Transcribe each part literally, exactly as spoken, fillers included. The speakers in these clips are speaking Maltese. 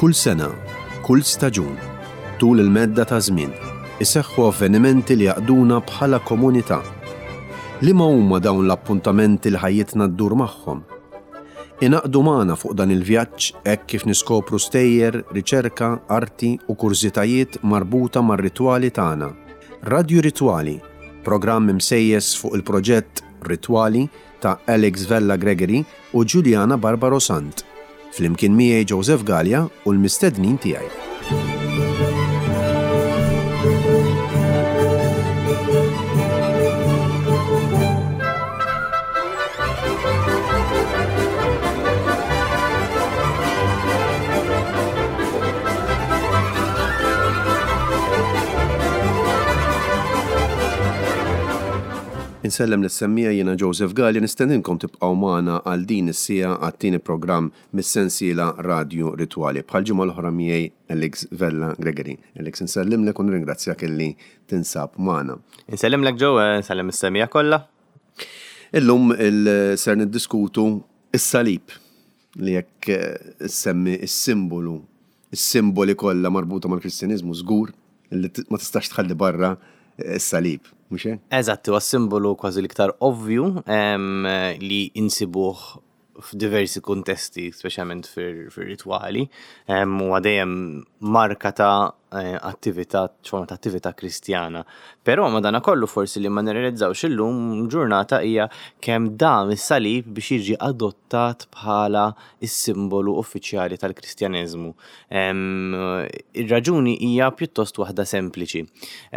Kull sena, kull staġun, tul il-medda ta' żmien, iseħħu avvenimenti li jaqduna bħala komunità. Liema huma dawn l-appuntamenti li ħajjitna ddur magħhom? Ingħaqdu magħna fuq dan il-vjaġġ hekk kif niskopru stejjer, riċerka, arti u kurżitajiet marbuta mar-ritwali tagħna. Radju Ritwali, programm imsejjes fuq il-proġett Ritwali ta' Alex Vella Gregory u Giuliana Barbaro Sant. Flimkien miegħi Joseph Gallia u l-mistednin tiegħi. Insellem lis-semmiegħa, jiena Joseph Gallia, nistedinkom tibqgħu magħna għal din is-siegħa għat-tieni programm mis-sensiela Radju Ritwali. Bħal ġimgħa l-oħra miegħi Alex Vella Gregory. Alex, insellimlek u nirringrazzjak illi tinsab magħna. Insellimlek Joe, insellem is-semmiegħa kollha. Illum il ser niddiskutu is-salib li jekk issemmi is-simbolu, is-simboli kollha marbuta mal-Kristjaniżmu żgur li ma tistax tħalli barra is-salib, mhux hekk? Eżatt, huwa simbolu kważi l-iktar ovvju li insibuh f'diversi kuntesti, speċjalment fir-ritwali, huwa dejjem marka ta' attività, forma ta' attività kristjana. Però madanakollu forsi li ma nirrealizzawx illum ġurnata hija kemm dam is-salib biex jiġi adottat bħala is-simbolu uffiċjali tal-Kristjaneżmu. Ir-raġuni hija pjuttost waħda sempliċi.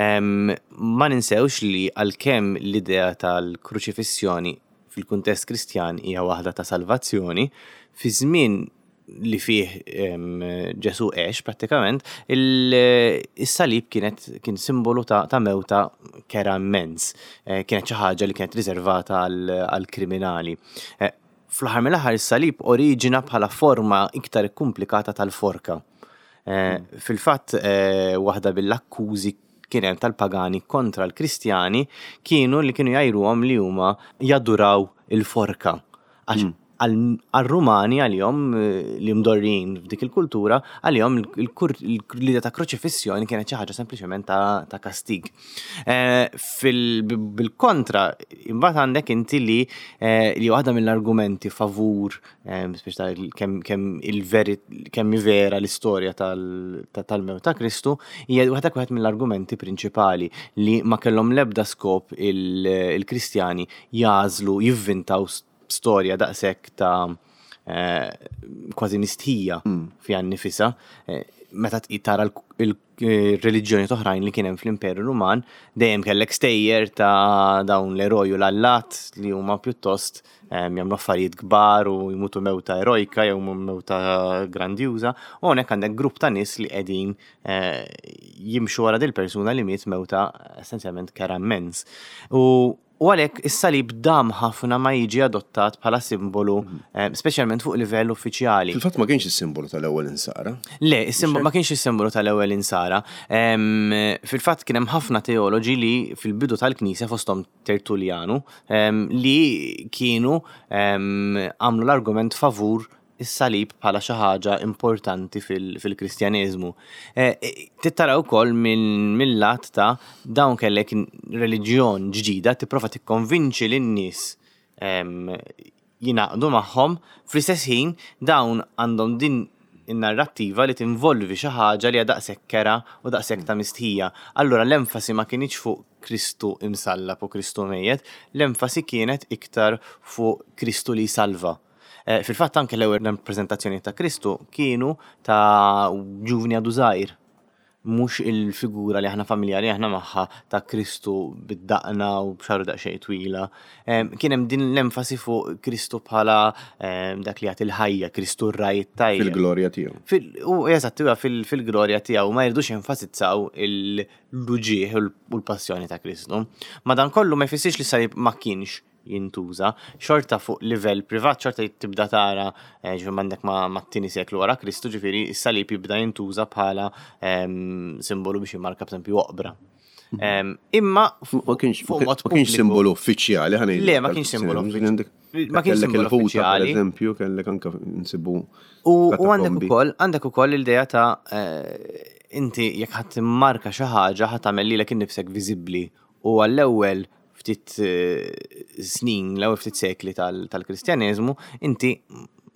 Ma ninsewx li għalkemm l-idea tal-kruċifissjoni fil-kuntest Kristjan hija waħda ta' salvazzjoni, fi żmien li fih Ġesu għex prattikament, il-salib kienet kien simbolu ta', ta' mewta kera immens. Kienet xi ħaġa li kienet riservata għall-kriminali. Fl-aħħar mill-aħħar is-salib oriġina bħala forma iktar komplikata tal-forka. Fil-fatt waħda bil-akkużi kien hemm tal-pagani kontra l-Kristjani kienu li kienu jgħajruhom li huma jaduraw il-forka. Għax għal-Rumani għalihom li mdorrin f'dik il-kultura, għalihom l-idea ta' kroċifissjoni kienet xi ħaġa sempliċement ta' kastig. Bil-kontra, imbagħad għandek inti li li waħda mill-argumenti favur speċi kemm il-veri kemm vera l-istorja tal-mewt ta' Kristu, hija waħda wieħed mill-argumenti prinċipali li ma kellhom l-ebda skop il-Kristjani jażlu jivvintaw storja daqshekk ta' kważi mistħija fiha nnifisha. Meta tara il-reliġjoni oħrajn li kien hemm fl-Imperu Ruman, dejjem kellek stejjer ta' dawn l-eroj u l-allat li huma pjuttost jagħmlu affarijiet kbar u jmutu mewta erojka jew mewta grandjuża, u hawnhekk għandek grupp ta' nies li qegħdin jimxu wara dil-persuna li miet mewta essenzjalment kera immens. U U għalhekk is-salib dam ħafna ma jiġi adottat bħala simbolu, speċjalment fuq livell uffiċjali. Fil-fatt ma kienx is-simbolu tal-ewwel insara. Le, ma kienx is-simbolu tal-ewwel insara. Fil-fatt kien hemm ħafna teoloġi li fil-bidu tal-Knisja fosthom Tertullianu li kienu għamlu l-argument favur is-salib bħala xi ħaġa importanti fil-Kristjaneżmu. Tittara wkoll mill-lat ta' dawn kellek reliġjon ġdida tipprova tikkonvinċi lin-nies jingħaqdu magħhom, fl-istess ħin dawn għandhom din in-narrattiva li tinvolvi xi ħaġa li hija daqshekk kera u daqshekk ta' mistħija. Allura l-enfasi ma kinitx fuq Kristu imsallab u Kristu mejjet, l-enfasi kienet iktar fuq Kristu li salva. Fil-fatt anke l-ewwel rappreżentazzjoni ta' Kristu kienu ta' ġuvni għadu żgħir, mhux il-figura li aħna familjari aħna magħha ta' Kristu bid-daqna u b'xagħru daqsxejn twila. Kien hemm din l-enfasi fuq Kristu bħala dak li jagħti l-ħajja, Kristu r-raj tajjeb. Fil-glorja tiegħu. U eżatt, huwa fil-glorja tiegħu ma jridux jenfasizzaw l-uġigħ u l-passjoni ta' Kristu. Madankollu ma jfissirx li salib ma kienx jintuża, xorta fuq livell privat, xorta tibda tara, ġifieri m'għandek ma' t-tieni seklu wara Kristu, ġifieri s-salib jibda jintuża bħala simbolu biex jimmarka b'eżempju oqbra. Em, Imma Ma kienx fuq mod ma kienx pubbliku- simbolu uffiċjali, ħa ngħidu. Le, ma kienx simbolu uffiċjali. Ma kienx Kellek simbolu il-ħuta, per uffiċjali. eżempju, kellek anka nsibu. U u għandek katakombi. ukoll għandek ukoll l-idea ta' eh, inti jekk ħadd timmarka xi ħaġa ħadd tagħmel lilek innifsek viżibbli u għall-ewwel ftit eh, snin, l-ewwel ftit sekli tal- tal-Kristjaneżmu, inti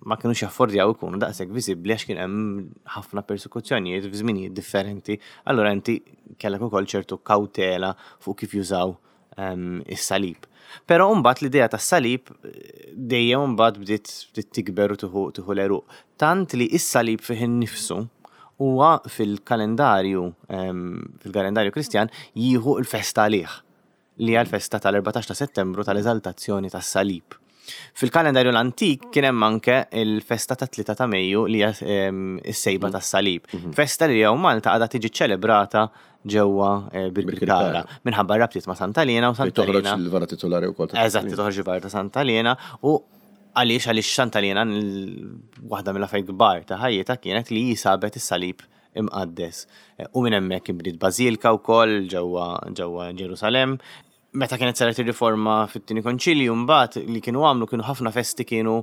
ma kienux jaffordjaw ikunu daqshekk viżibbli għax kien hemm ħafna persekuzzjonijiet f'żminijiet differenti. Allura inti kellek ukoll ċertu kawtela fuq kif jużaw ehm, is-salib. Però mbagħad l-idea tas-salib eh, dejjem mbagħad bdiet bdiet tikber u tieħu tieħu l-għeruq. Tant li is-salib fih innifsu huwa fil-kalendarju ehm, fil-kalendarju Kristjan jieħu l-festa għalih li hija l-festa tal-erbatax ta' Settembru tal-eżaltazzjoni tas-salib. Fil-kalendarju l-antik kien hemm anke il-festa ta' tlieta ta' Mejju li hija ehm, is-sejba tas-salib. Festa li hawn Malta għadha tiġi ċelebrata ġewwa eh, Birkirkara minħabba rabtiet ma' Santa Liena u Fejn Santa toħroġ Liena. il-vara titolari wkoll. ta' Eżatt, toħroġ il-vara ta' Santa Liena u għaliex għaliex Santa Liena l- waħda mill-affarijiet kbar ta' ħajjitha kienet li sabet is-salib imqaddes. Eh, U minn hemmhekk inbniet bażilka wkoll ġewwa ġewwa Ġerusalem. Meta kienet saret ir-riforma fit-tieni konċilju mbagħad li kienu għamlu kienu ħafna festi kienu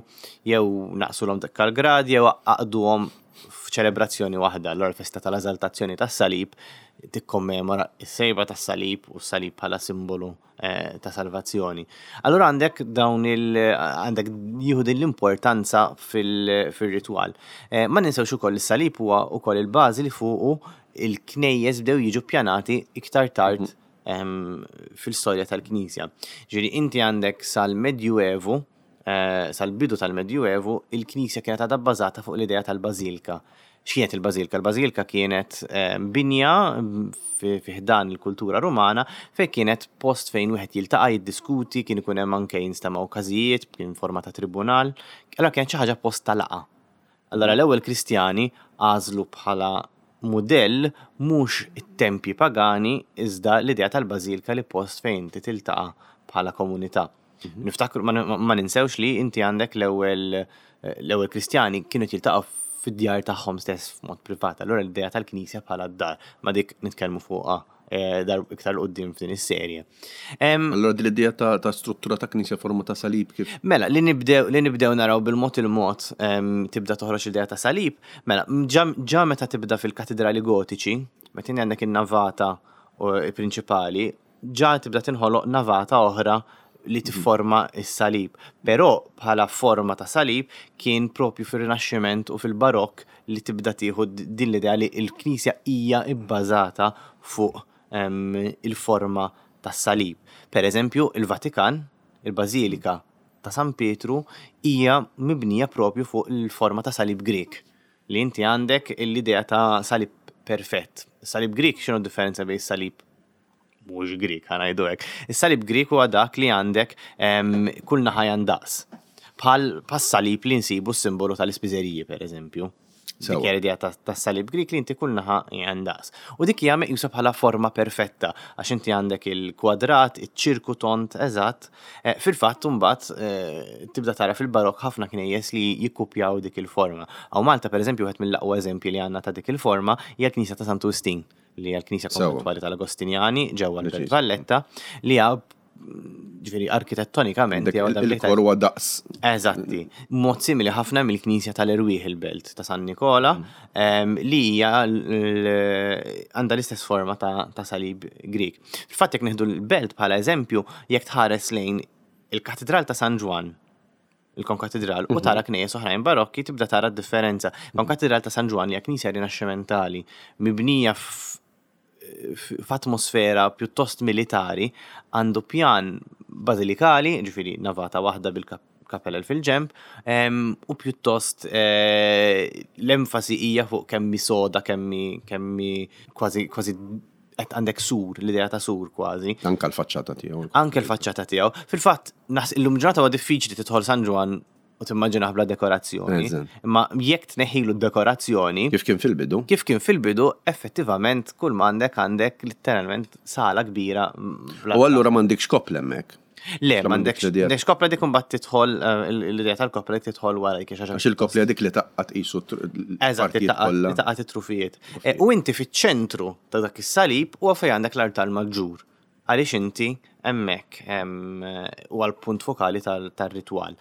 jew naqsulhom dak grad jew għaqduhom f'ċelebrazzjoni waħda. Allura l-festa tal-eżaltazzjoni tas-salib tikkommemora s-sejba tas-salib u s-salib bħala simbolu eh, ta' salvazzjoni. Allura għandek dawn il għandek jieħu din l-importanza fil- fil-ritwal. Eh, Ma ninsewx ukoll is-salib huwa ukoll il-bażi li fuqu il-knejjes bdew jiġu pjanati iktar tard em, fil-storja tal-Knisja. Ġifieri inti għandek sal-Medjuevu, eh, sal-bidu tal-Medjuevu, il-Knisja kienet għadha bbażata fuq l-idea tal-Bażilka. X'kienet il-Bażilka? Il-Bażilka kienet eh, binja mm, fi fi ħdan il-kultura Rumana fejn kienet post fejn wieħed jiltaqa' jiddiskuti, kien ikun hemm anke jinstemgħu każijiet, kien forma ta' tribunal. Allora kienet xi ħaġa post ta' laqgħa. Allora l-ewwel Kristjani għażlu bħala mudell mhux it-tempji pagani iżda l-idea tal-bażilka li post fejn inti tiltaqa' bħala komunità. Niftakru ma, ma ninsewx li inti għandek l-ewwel l-ewwel Kristjani kienu jiltaqgħu fid-djar tagħhom stess f'mod privat. Allura l-idea tal-Knisja bħala d-dar, ma dik nitkellmu fuqha eh, dar iktar 'l quddiem f'din is-serje. Em, Allora din l-idea ta' ta' struttura ta' knisja forma ta' salib kif. Mela, li nibdew, li nibdew naraw bil-mod il-mod em, tibda toħroġ l-idea ta' salib, mela, ġa, ġa meta tibda fil-katedrali gotiċi, meta inti għandek in-navata u- prinċipali, ġa tibda tinħoloq navata oħra li tifforma is-salib. Però bħala forma ta' salib kien propju fir-Rinaxximent u fil-Barokk li tibda tieħu din l-idea li l-Knisja hija bbażata fuq em, il-forma tas-salib. Per eżempju, il-Vatikan, il-Bażilika ta' San Pietru hija mibnija propju fuq il-forma ta' salib Grek. Li inti għandek l-idea ta' salib perfett. Salib Grek x'inhu differenza bejn salib mhux Grek, ħa ngħidu hekk. Is-salib Grek huwa dak li għandek em, kull naħa jandaqs. Bħal pas-salib li nsibu s-simbolu tal-ispiżeriji, per eżempju. Sewa. Dik hija l-idea ta' tas-salib Grek li inti kull naħa jandaqs. U dik hija meqjusa bħala forma perfetta għax inti għandek il-kwadrat, iċ-ċirku tond eżatt. Eh, Fil-fatt imbagħad eh, tibda tara fil-barok ħafna knejjes li jikkupjaw dik il-forma. Hawn Malta pereżempju wieħed mill-aqwa eżempji li għandna ta' dik il-forma hija l-Knisja ta' Santu Wistin li hija l-Knisja Sewa. konventwali tal-Agostinjani ġewwa l-Belt Preċiż. Valletta li hija ġifieri arkitettonikament Dak hija waħda mill-iktar Il-kor huwa daqs. Eżatti. Mod simili ħafna mill-Knisja tal-Erwieħ il-Belt ta' San Nikola, em, li hija l- għandha l-istess forma ta', ta' salib Grek. Fil-fatt jekk nieħdu l-Belt bħala eżempju, jekk tħares lejn il-Katedral ta' San Ġwann, il-Konkatedral, u tara knejjes oħrajn barokki tibda tara d-differenza. Konkatedral ta' San Ġwann hija knisja rinaxximentali mibnija f- f'atmosfera pjuttost militari, għandu pjan bażilikali, ġifieri navata waħda bil-kapellel fil-ġemp, em, u pjuttost eh, l-enfasi hija fuq kemm hi soda, kemm hi kemm hi kważi kważi qed għandek sur, l-idea ta' sur kważi. Anka l-faċċata tiegħu. Anke l-faċċata tiegħu. Fil-fatt, naħs illum ġurnata huwa diffiċli tidħol San Ġwann u timmaġinaħ bla dekorazzjoni. Eżatt. Imma jekk tneħħilu d-dekorazzjoni, Kif kien fil-bidu? kif kien fil-bidu, effettivament kull ma għandek għandek letteralment sala kbira. mm, bla- U allura m'għandekx koppla hemmhekk. Le, Xa m'għandekx l-idea. m'għandekx koppla dik imbagħad tidħol eh, l-idea tal-koppla dik tidħol wara dik xi ħaġa Għax il-koppla dik li tgħaqqad qisu Eżatt, partijiet kollha. tgħaqqad it-trufijiet. Eh, U inti fiċ-ċentru ta' dak is-salib huwa fejn għandek l-artal maġġur. Għaliex inti hemmhekk huwa l-punt fokali tal- tar-ritwal.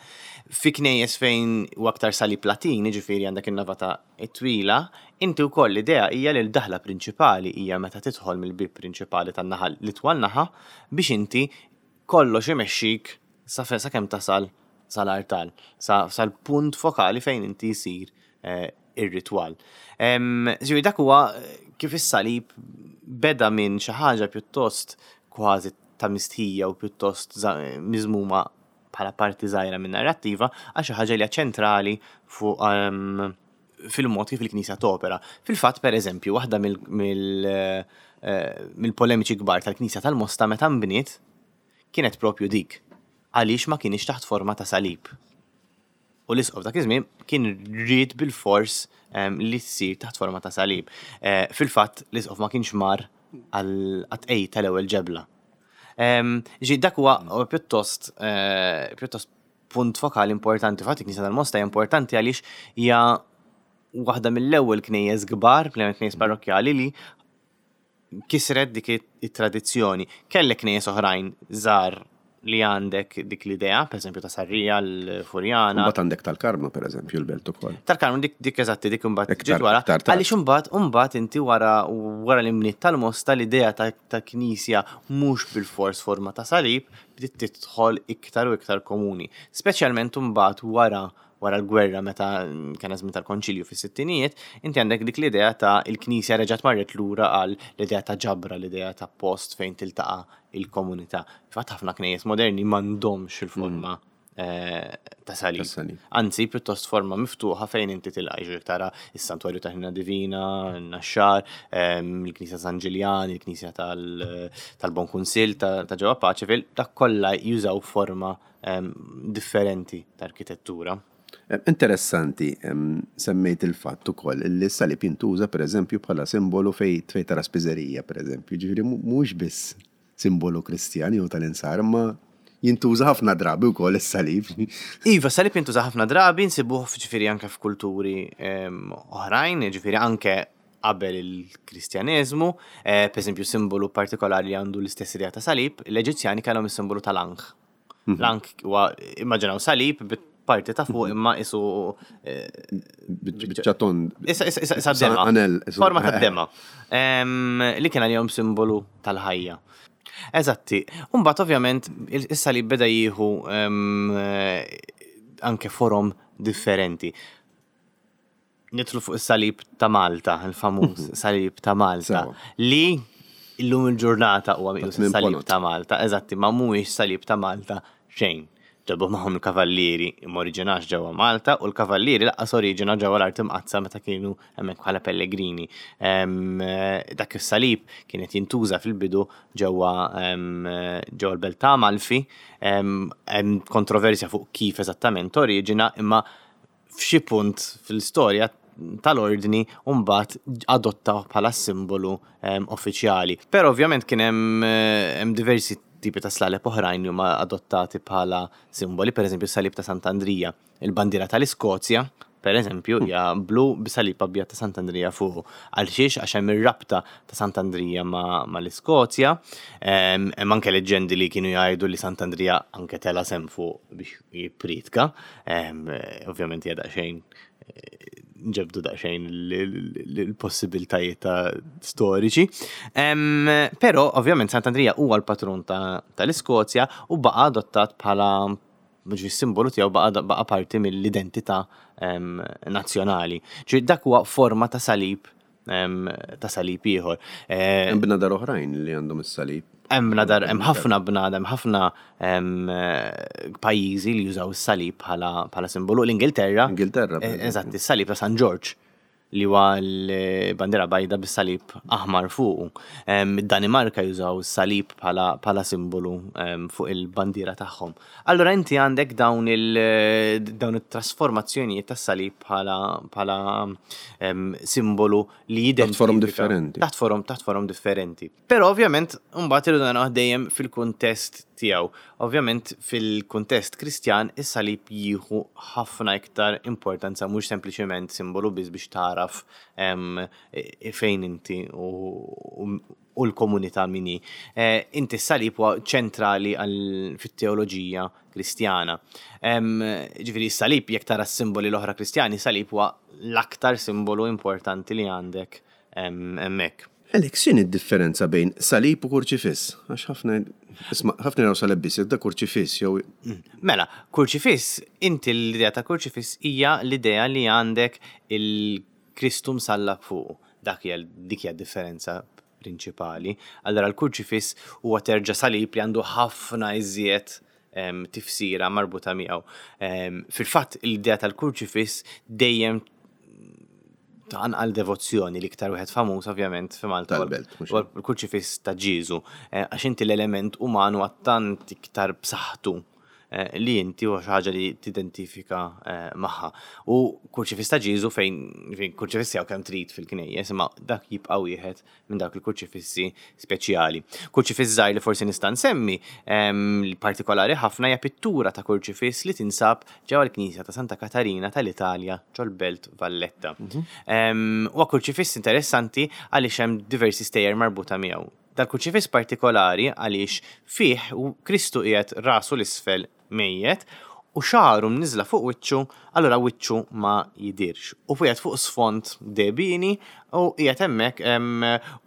Fi knejjes fejn u aktar salib Latin, ġifieri għandek in-navata twila, inti wkoll l-idea hija li l-daħla prinċipali hija meta tidħol mill-bib prinċipali tan-naħa l-itwal naħa biex inti kollox imexxik sa fe- sakemm tasal sal-artal, sa- sal-punt fokali fejn inti jsir eh, ir-ritwal. Em, Ġifieri dak huwa eh, kif is-salib beda minn xi ħaġa pjuttost kważi ta' mistħija u pjuttost za- miżmuma bħala parti żgħira minn narrattiva għal xi ħaġa li hija ċentrali fuq em, fil-mod kif il-Knisja topera. Fil-fatt, per eżempju, waħda mill- mill- eh, mill-polemiċi kbar tal-Knisja tal-Mosta meta nbniet kienet propju dik. Għaliex ma kienx taħt forma ta' salib. U l-isqof dak iż-żmien kien ried bil-fors em, li tsir taħt forma ta' salib. Eh, Fil-fatt l-isqof ma kienx mar għal-tqegħid tal-ewwel ġebla. Em, Ġi dak huwa huwa pjuttost eh, pjuttost punt fokali importanti. Fatt il-Knisja tal-Mosta hija importanti għaliex hija waħda mill-ewwel knejjes kbar, knejjes parrokkjali li kisret dik it-tradizzjoni. Kellek knejjes oħrajn żgħar li għandek dik l-idea, per eżempju ta' Sarrija, l-Furjana. Mbagħad għandek tal-Karmnu, per eżempju, l-belt ukoll. Tal-Karmnu dik dik eżatti dik imbagħad Iktar- ġiet wara. iktar tard. Għaliex imbagħad imbagħad inti wara wara l-imniet tal-Mosta l-idea ta' ta' knisja mhux bil-fors forma ta' salib bdiet tidħol iktar u iktar komuni. Speċjalment imbagħad wara wara l-gwerra meta kien żmien tal-konċilju fis-sittinijiet, inti għandek dik l-idea ta' il-knisja reġgħet marret lura għal l-idea ta' ġabra, l-idea ta' post fejn tiltaqa' il-komunità. Fatt ħafna knejjes moderni m'għandhomx il-forma eh, ta' salib. Ta' salib. Anzi, pjuttost forma miftuħa fejn inti tilqa' ġifieri tara is-Santwarju ta' Ħnina Divina, n-Naxxar, ehm, il-Knisja San Ġiljan, il-Knisja tal- tal-Bon Kunsill ta' ta' ġewwa Paceville, dak kollha jużaw forma ehm, differenti ta' arkitettura. Eh, Interessanti, em, semmejt il-fatt ukoll li s-salib jintuża per eżempju bħala simbolu fej fej tara spiżerija, per eżempju, ġifieri mu- mhux biss simbolu Kristjan jew tal-insar, imma jintuża ħafna drabi wkoll is-salib. Iva, salib jintuża ħafna drabi, nsibuh ġifieri anke f'kulturi em, oħrajn, ġifieri anke qabel il-Kristjaneżmu, eh, per eżempju simbolu partikolari li għandu l-istess idea ta' salib, l-Eġizzjani kellhom is-simbolu tal-Ankh. L-Ankh huwa immaġinaw salib bit-parti ta' fuq imma isu eh, Biċċa tond. Issa, issa, issa, issa dema. Anel, isu- Forma ta' dema. Em, Li kien għalihom simbolu tal-ħajja. Eżatti. Umbagħad ovvjament il- is-salib beda jieħu em, eh, anke forom differenti. Nidħlu fuq is-salib ta' Malta, il-famuż salib ta' Malta, Sewa. li illum il-ġurnata huwa meqjus tmien is-salib ponot. ta' Malta, eżatti, ma mhuwiex salib ta' Malta xejn. Ġabu magħhom il-kavallieri imma oriġinax ġewwa Malta u l-kavallieri lanqas oriġina ġewwa l-Art Imqaddsa meta kienu hemmhekk bħala pellegrini. Em, eh, Dak is-salib kienet jintuża fil-bidu ġewwa em, ġewwa l-belt ta' Amalfi. Em, Hemm kontroversja fuq kif eżattament oriġina, imma f'xi punt fil-istorja tal-ordni mbagħad adottaw bħala simbolu em, uffiċjali. Però ovvjament kien hemm eh, hemm diversi tipi ta' slaleb oħrajn li huma adottati bħala simboli, per eżempju salib ta' Sant'Andrija, il-bandiera tal-Iskozja, per eżempju, hija blu b'salib abjad ta' Sant'Andrija fuq. Għal xiex għax hemm ir-rabta ta' Sant'Andrija ma' mal-Iskozja, em, hemm anke leġendi li kienu jgħidu li Sant'Andrija anke tela' s'hemm fuq biex jippritka, Em, eh, ovvjament hija daqsxejn eh, nġebdu daqsxejn l-possibiltajiet ta' storiċi. Em, Però ovvjament Sant'Andrija huwa l-patrun ta- tal-Iskozja u baqa adottat bħala ġi simbolu tiegħu baqa baqa parti mill-identità em, nazzjonali. Ġi dak huwa forma ta' salib em, ta' salib ieħor. Eh, Hemm bnadar oħrajn li għandhom is-salib. Hemm bnadar, hemm ħafna bnadar, hemm ħafna em, eh, pajjiżi li jużaw is-salib bħala bħala simbolu. L-Ingilterra. Ingilterra, per eh, eżempju. Eżatt, is-salib ta' San George li huwa l-bandiera bajda bis-salib aħmar fuqu. Em, Id-Danimarka jużaw is-salib bħala bħala simbolu em, fuq il-bandiera tagħhom. Allura inti għandek dawn il dawn it-trasformazzjonijiet tas-salib bħala bħala em, simbolu li Taħt forom jidentifika- differenti. Taħt forom, taħt forom differenti. Però ovvjament mbagħad irridu naraw dejjem fil-kuntest tiegħu. Ovvjament fil-kuntest Kristjan is-salib jieħu ħafna iktar importanza, mhux sempliċement simbolu biss biex taraf fejn inti u u l-komunità min hi. Inti s-salib huwa ċentrali fit-teoloġija Kristjana. Ġifieri s-salib, jekk tara s-simboli l-oħra Kristjani, salib huwa l-aktar simbolu importanti li għandek hemmhekk. Alex, x'inhi d-differenza bejn salib u kurċifiss? Għax ħafna, isma', ħafna jaraw salib biss, da kurċifiss jew. Mela, kurċifiss, inti l-idea ta' kurċifiss hija l-idea li għandek il-Kristu msallab fuq. Dak hija dik hija differenza prinċipali. Allora l-kurċifiss huwa terġa' salib li għandu ħafna iżjed tifsira marbuta miegħu. Fil-fatt l-idea tal-kurċifiss dejjem tqanqal devozzjoni. L-iktar wieħed famuż ovvjament fi Malta Tal-Belt, mhux huwa l-kurċifiss ta' Ġieżu, għax inti l-element umanu tant iktar b'saħħtu li inti huwa xi ħaġa li tidentifika magħha. U kurċifiss ta' Ġieżu fejn fejn kurċifissi hawn kemm trid fil-knejjes, imma dak jibqa' wieħed minn dak il-kurċifissi speċjali. Kurċifiss żgħir li forsi nista' nsemmi, li partikolari ħafna, hija pittura ta' kurċifiss li tinsab ġewwa l-Knisja ta' Santa Katarina tal-Italja ġol-Belt Valletta. Huwa kurċifiss interessanti għaliex hemm diversi stejjer marbuta miegħu. Dal-kurċifiss partikolari għaliex fih Kristu qiegħed rasu l-isfel mejjet u xagħru mniżla fuq wiċċu, allura wiċċu ma jidirx. U qiegħed fuq sfond dehbieni u qiegħed hemmhekk,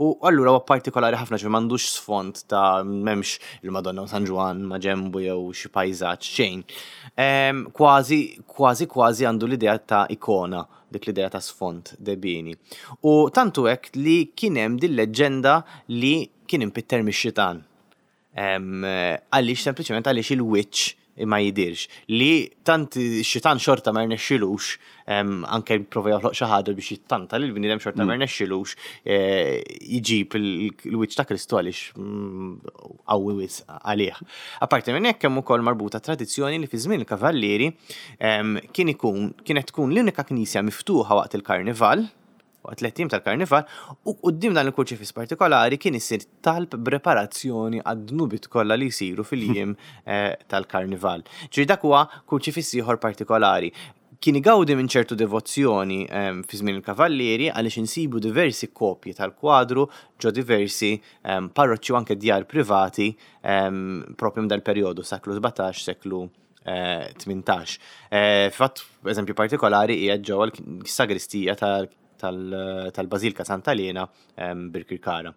u allura huwa partikolari ħafna, ġifieri m'għandux sfond ta' m'hemmx il-Madonna u San Ġwann ma' ġembu jew xi pajżaġġ xejn. Kważi, kważi, kważi għandu l-idea ta' ikona, dik l-idea ta' sfond dehbieni. U tantu hekk li kien hemm din leġġenda li kien impitter mix-xitan. Għaliex sempliċement għaliex il-wiċċ ma jidirx. Li tant xitan xorta ma rnexxilux, anke prova joħloq xi ħaġa biex jittanta lil bniedem, xorta ma rnexxilux jġib il-wiċċ ta' Kristu għaliex qawwi wisq għalih. Apparti minn hekk hemm ukoll marbuta tradizzjoni li fi żmien il-Kavallieri kien ikun kienet tkun l-unika knisja miftuħa waqt il-Karnival, waqt tliet ijiem tal-Karnival, u quddiem dan il-kurċifiss partikolari kien isir talb b'reparazzjoni għad-dnubiet kollha li jsiru fil-jiem tal-Karnival. Ġifieri dak huwa kurċifiss ieħor partikolari. Kien igawdi minn ċertu devozzjoni fi żmien il-Kavallieri għaliex insibu diversi kopji tal-kwadru ġo diversi parroċċi u anke djar privati propju minn dal-perjodu seklu sbatax, seklu tmintax. Fatt, eżempju partikolari hija ġewwa l-sagristija tal-Bażilika Santa Liena Birkirkara.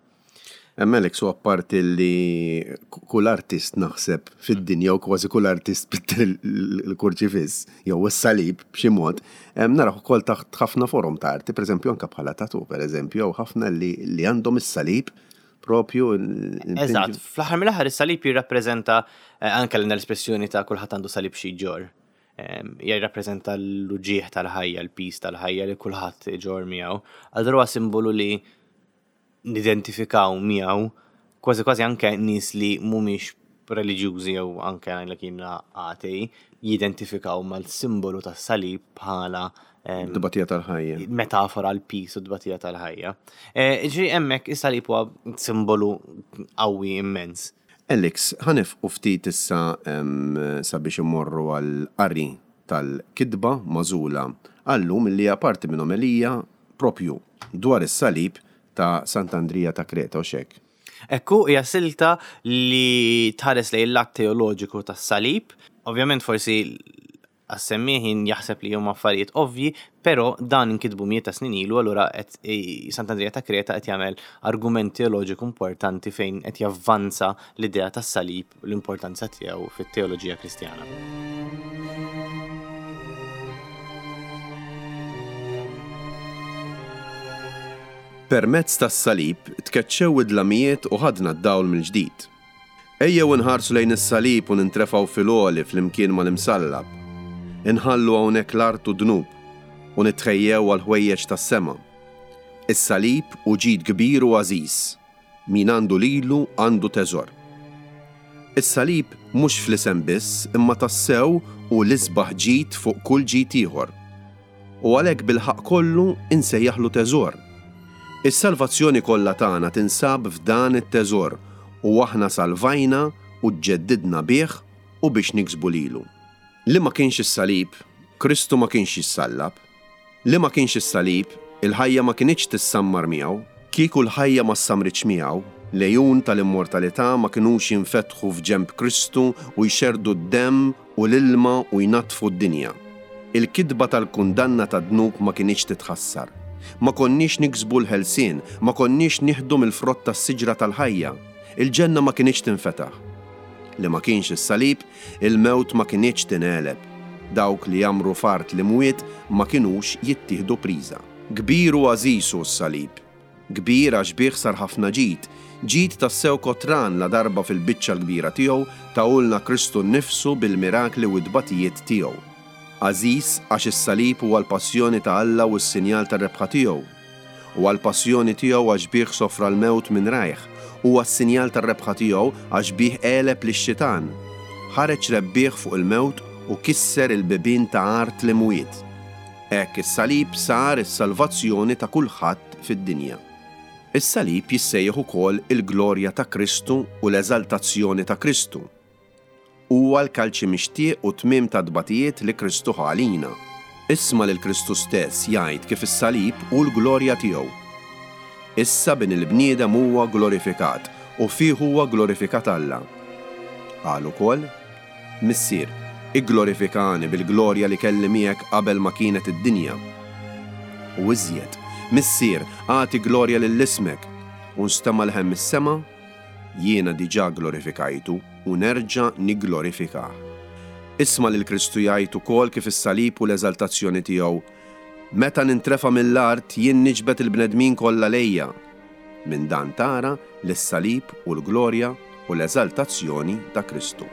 Alex, u apparti li kull artist naħseb fid-dinja u kważi kull artist pitter il-kurċifiss jew is-salib b'xi mod, naraw ukoll taħt ħafna forom ta' arti, pereżempju anke bħala tattoo, pereżempju, jew ħafna li għandhom is-salib propju. Eżatt, fl-aħħar mill-aħħar is-salib jirrappreżenta anke l-espressjoni ta' kulħadd għandu salib xi jġorr. Jirrappreżenta l-uġigħ tal-ħajja, l-pis tal-ħajja li kulħadd iġorr miegħu. Allura huwa simbolu li nidentifikaw miegħu kważi kważi anke nies li mhumiex reliġjużi jew anke ngħidlek jiena atei jidentifikaw mal-simbolu tas-salib bħala Dbatija tal-ħajja. Metafora għal pis u dbatija tal-ħajja. Ġifieri hemmhekk is-salib huwa simbolu qawwi immens. Alex, ħa nieqfu ftit issa sabiex immorru għal qari tal-kitba magħżula għallum li hija parti minn omelija propju dwar is-salib ta' Sant'Andrija ta' Kreta, u xek. Ekku, hija silta li tħares lejn l-att teoloġiku tas-salib. Ovvjament forsi għas-semmiħin jaħseb li huma affarijiet ovvji, però dan inkitbu mijiet ta' snin ilu, allura qed Sant'Andrija ta' Kreta qed jagħmel argument teoloġiku importanti fejn qed javvanza l-idea tas-salib u l-importanza tiegħu fit-teoloġija Kristjana. Permezz tas-salib tkeċċew id-dlamijiet u ħadna d-dawl mill-ġdid. Ejjew inħarsu lejn is-salib u nintrefgħu fil-għoli flimkien mal-imsallab. Inħallu hawnhekk l-art u dnub u nitħejjew għal ħwejjeġ tas-sema. Is-salib hu ġid kbir u għażiż. Min għandu lilu għandu teżor. Is-salib mhux fl-isem biss, imma tassew u l-isbaħ ġid fuq kull ġid ieħor. U għalhekk bil-ħaqq kollu insejjaħlu teżor. Is-salvazzjoni kollha tagħna tinsab f'dan it-teżor u aħna salvajna u ġġeddidna bih u biex niksbu lilu. Li ma kienx is-salib, Kristu ma kienx jissallab. Li ma kienx is-salib, il-ħajja ma kinitx tissammar miegħu. Kieku l-ħajja ma ssamritx miegħu, l-għejun tal-immortalità ma kinux jinfetħu f'ġenb Kristu u jxerrdu d-demm u l-ilma u jnaddfu d-dinja. Il-kitba tal-kundanna tad-dnub ma kinitx titħassar. Ma konniex niksbu l-ħelsien, ma konniex nieħdu mill-frott tas-siġra tal-ħajja. Il-ġenna ma kinitx tinfetaħ. Li ma kienx is-salib, il-mewt ma kinitx tingħeleb. Dawk li jgħammru f'art l-imwiet ma kinux jittieħdu priża. Kbir u għażiż hu s-salib. Kbir għax bih sar ħafna ġid, ġid tassew kotran la darba fil-biċċa l-kbira tiegħu tahulna Kristu nnifsu bil-mirakli u t-tbatijiet tiegħu. Għażiż għax is-salib huwa l-passjoni ta' Alla u s-sinjal tar-rebħa tiegħu. Huwa l-passjoni tiegħu għax bih sofra l-mewt minn rajh. Huwa s-sinjal tar-rebħa tiegħu għax bih għeleb lix-xitan. Ħareġ rebbieħ fuq il-mewt u kisser il-bibien ta' art l-imwiet. Hekk is-salib sar is-salvazzjoni ta' kulħadd fid-dinja. Is-salib jissejjaħ ukoll il-glorja ta' Kristu u l-eżaltazzjoni ta' Kristu. Huwa l-kalċi mixtieq u tmiem ta' tbatijiet li Kristu ħa għalina. Isma' lil Kristu stess jgħid kif is-salib hu l-glorja tiegħu. Issa bin il-bniedem huwa glorifikat u fih huwa glorifikat Alla. Qal ukoll, Missier, igglorifikani bil-glorja li kelli miegħek qabel ma kienet id-dinja. U iżjed, Missier, agħti glorja lil ismek, u nstema' leħen mis-sema, jiena diġà glorifikajtu u nerġa' nigglorifikah. Isma' lil Kristu jgħid ukoll kif is-salib u l-eżaltazzjoni tiegħu, meta nintrefa' mill-art jien niġbed il-bnedmin kollha lejja. Minn dan tara li s-salib u l-glorja u l-eżaltazzjoni ta' Kristu.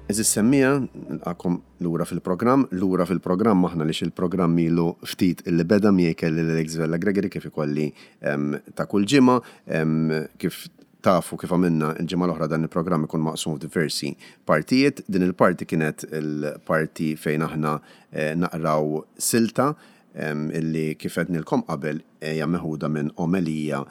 Eżis semmija, nilqakom lura fil-programm, lura fil-programm aħna li il-programm ilu ftit illi beda miegħi kelli l-Alex Vella Gregory kif ikolli ta' kull ġimgħa, kif tafu kif għamilna il-ġimgħa l-oħra dan il-programm ikun maqsum f'diversi partijiet. Din il-parti kienet il-parti fejn aħna naqraw silta illi kif għednilkom qabel hija meħuda minn omelija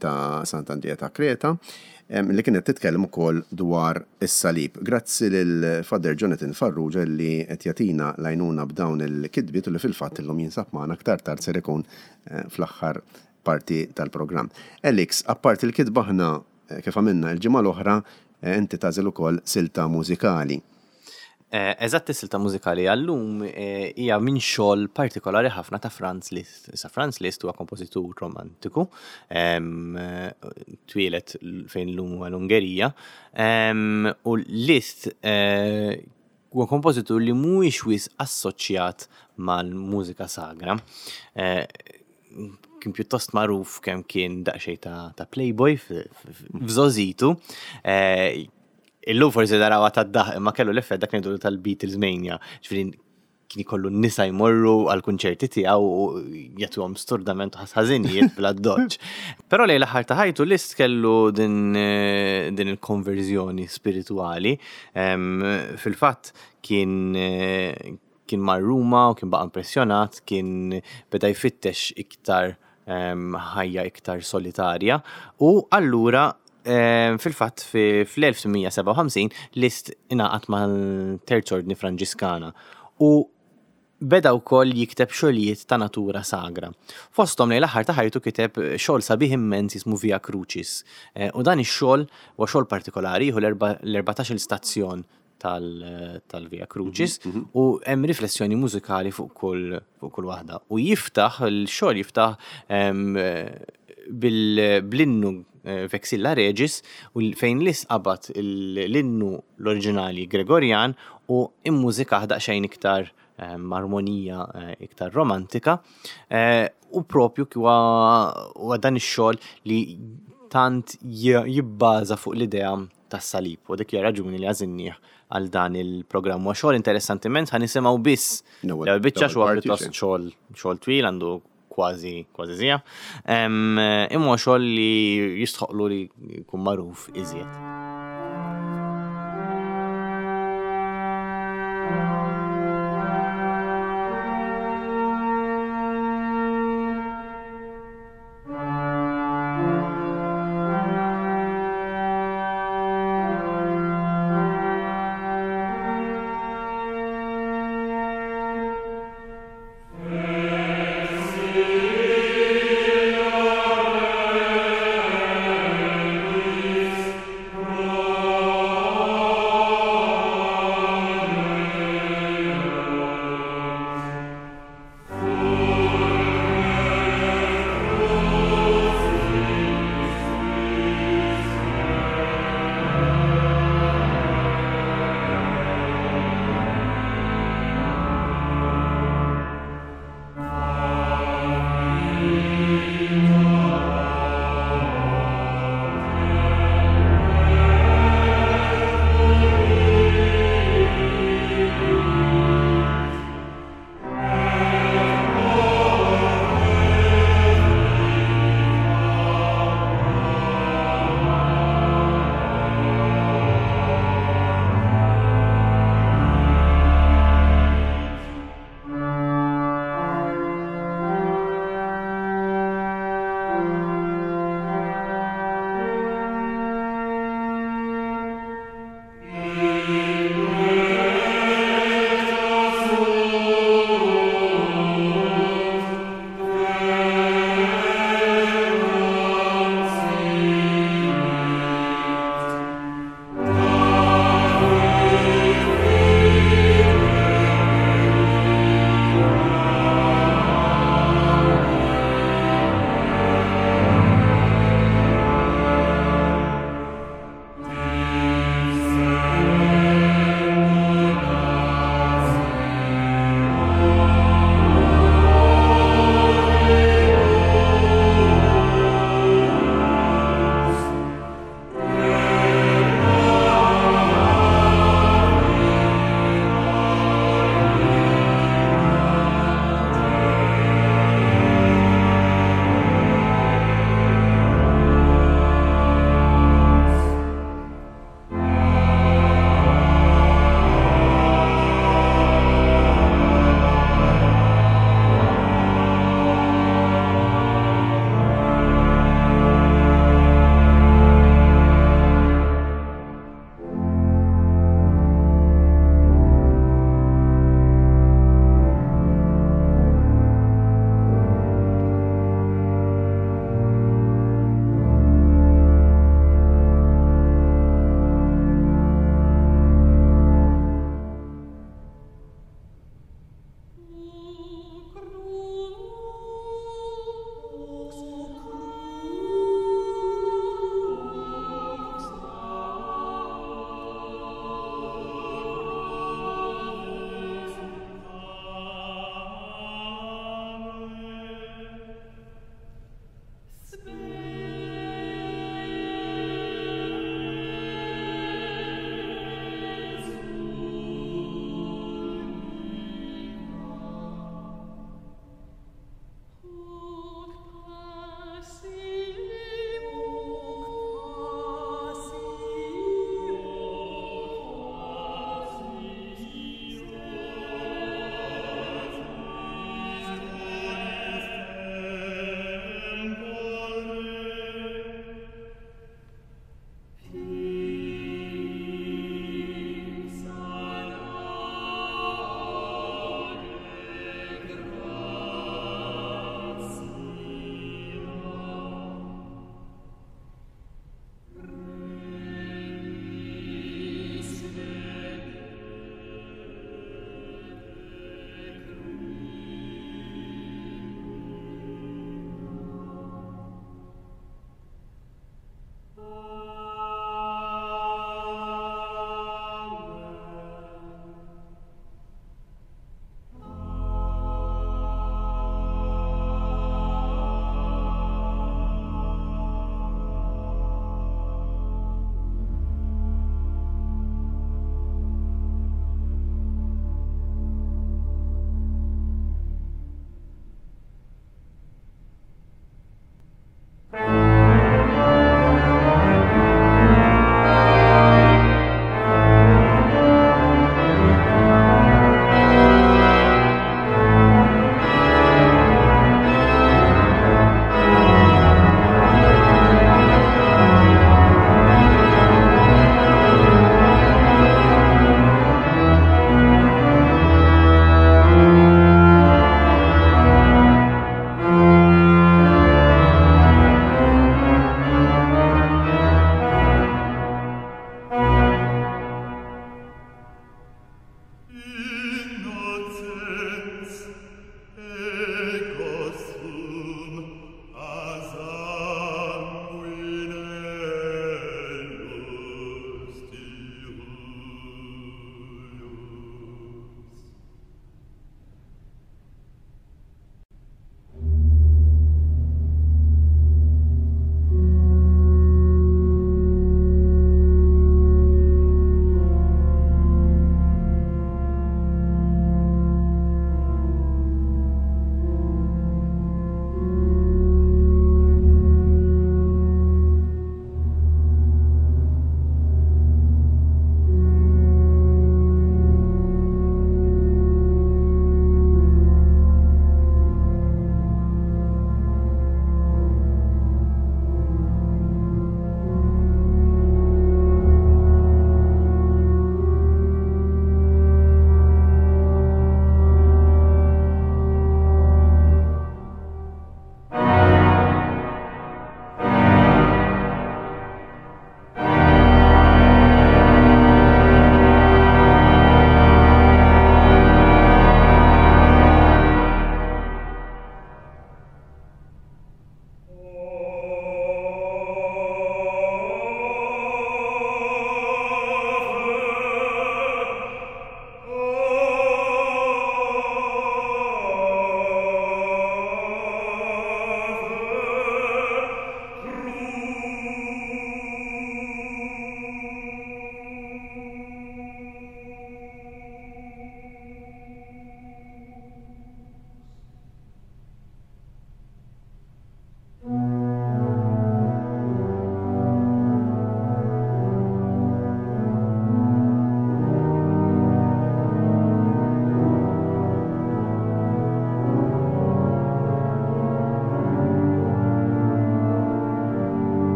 ta' Sant'Andrija ta' Kreta, li kienet titkellem ukoll dwar is-salib. Grazzi lil Father Jonathan Farrugia li qed jagħtina l-għajnuna b'dawn il-kitbiet u li fil-fatt illum jinsab magħna aktar tard ser ikun fl-aħħar parti tal-programm. Alex, apparti il-kitba aħna kif għamilna il-ġimgħa l-oħra, inti tagħżel ukoll silta mużikali. Eżatt, is-silta mużikali għallum hija minn xogħol partikolari ħafna ta' Franz Liszt. Issa Franz Liszt huwa kompożitur romantiku, twieled fejn llum huwa l-Ungerija, u Liszt huwa kompożitur li mhuwiex wisq assoċjat mal-mużika sagra. Kien pjuttost magħruf kemm kien daqsxejn ta' playboy f'żożitu. Illum forsi darawha tad-daħ, imma kellu l-effett dak ngħidu tal-Beatles mania. Ġifieri kien ikollu n-nisa jmorru għall-kunċerti tiegħu u jagħtuhom sturdament u ħażinijiet bla doċ. Però lejn l-aħħar ta' ħajtu Liszt kellu din, din il-konverżjoni spirituali. Fil-fatt kien, kien mar Ruma u kien baqa' impressjonat, kien beda jfittex iktar ħajja iktar solitarja u allura fil-fatt fl-elf tmien mija sebgħa u ħamsin Liszt ingħaqad mal-Terz Ordni Franġiskana u beda wkoll jikteb xogħlijiet ta' natura sagra. Fosthom lejn l-aħħar ta' ħajtu kiteb xogħol sabiħ immens jismu Via Crucis. U dan ix-xogħol huwa xogħol partikolari, jieħu l-erbatax-il stazzjon tal-Via Crucis u hemm riflessjoni mużikali fuq kull, fuq kull waħda. U jiftaħ, il-xogħol jiftaħ bl-innu Vexilla Regis, u fejn Liszt qabad l-innu l-oriġinali Gregorian u immużikah daqsxejn iktar armonija iktar romantika, u propju huwa dan ix-xogħol li tant jibbaża fuq l-idea tas-salib, u dik hija raġuni li għażilnieh għal dan il-programm. Huwa xogħol interessanti immens, ħa nisimgħu biss l-ewwel biċċa, xogħol pjuttost xogħol, xogħol twil, għandu kważi, kważi sija. Imma xogħol li jistħoqlu li jkun magħruf iżjed.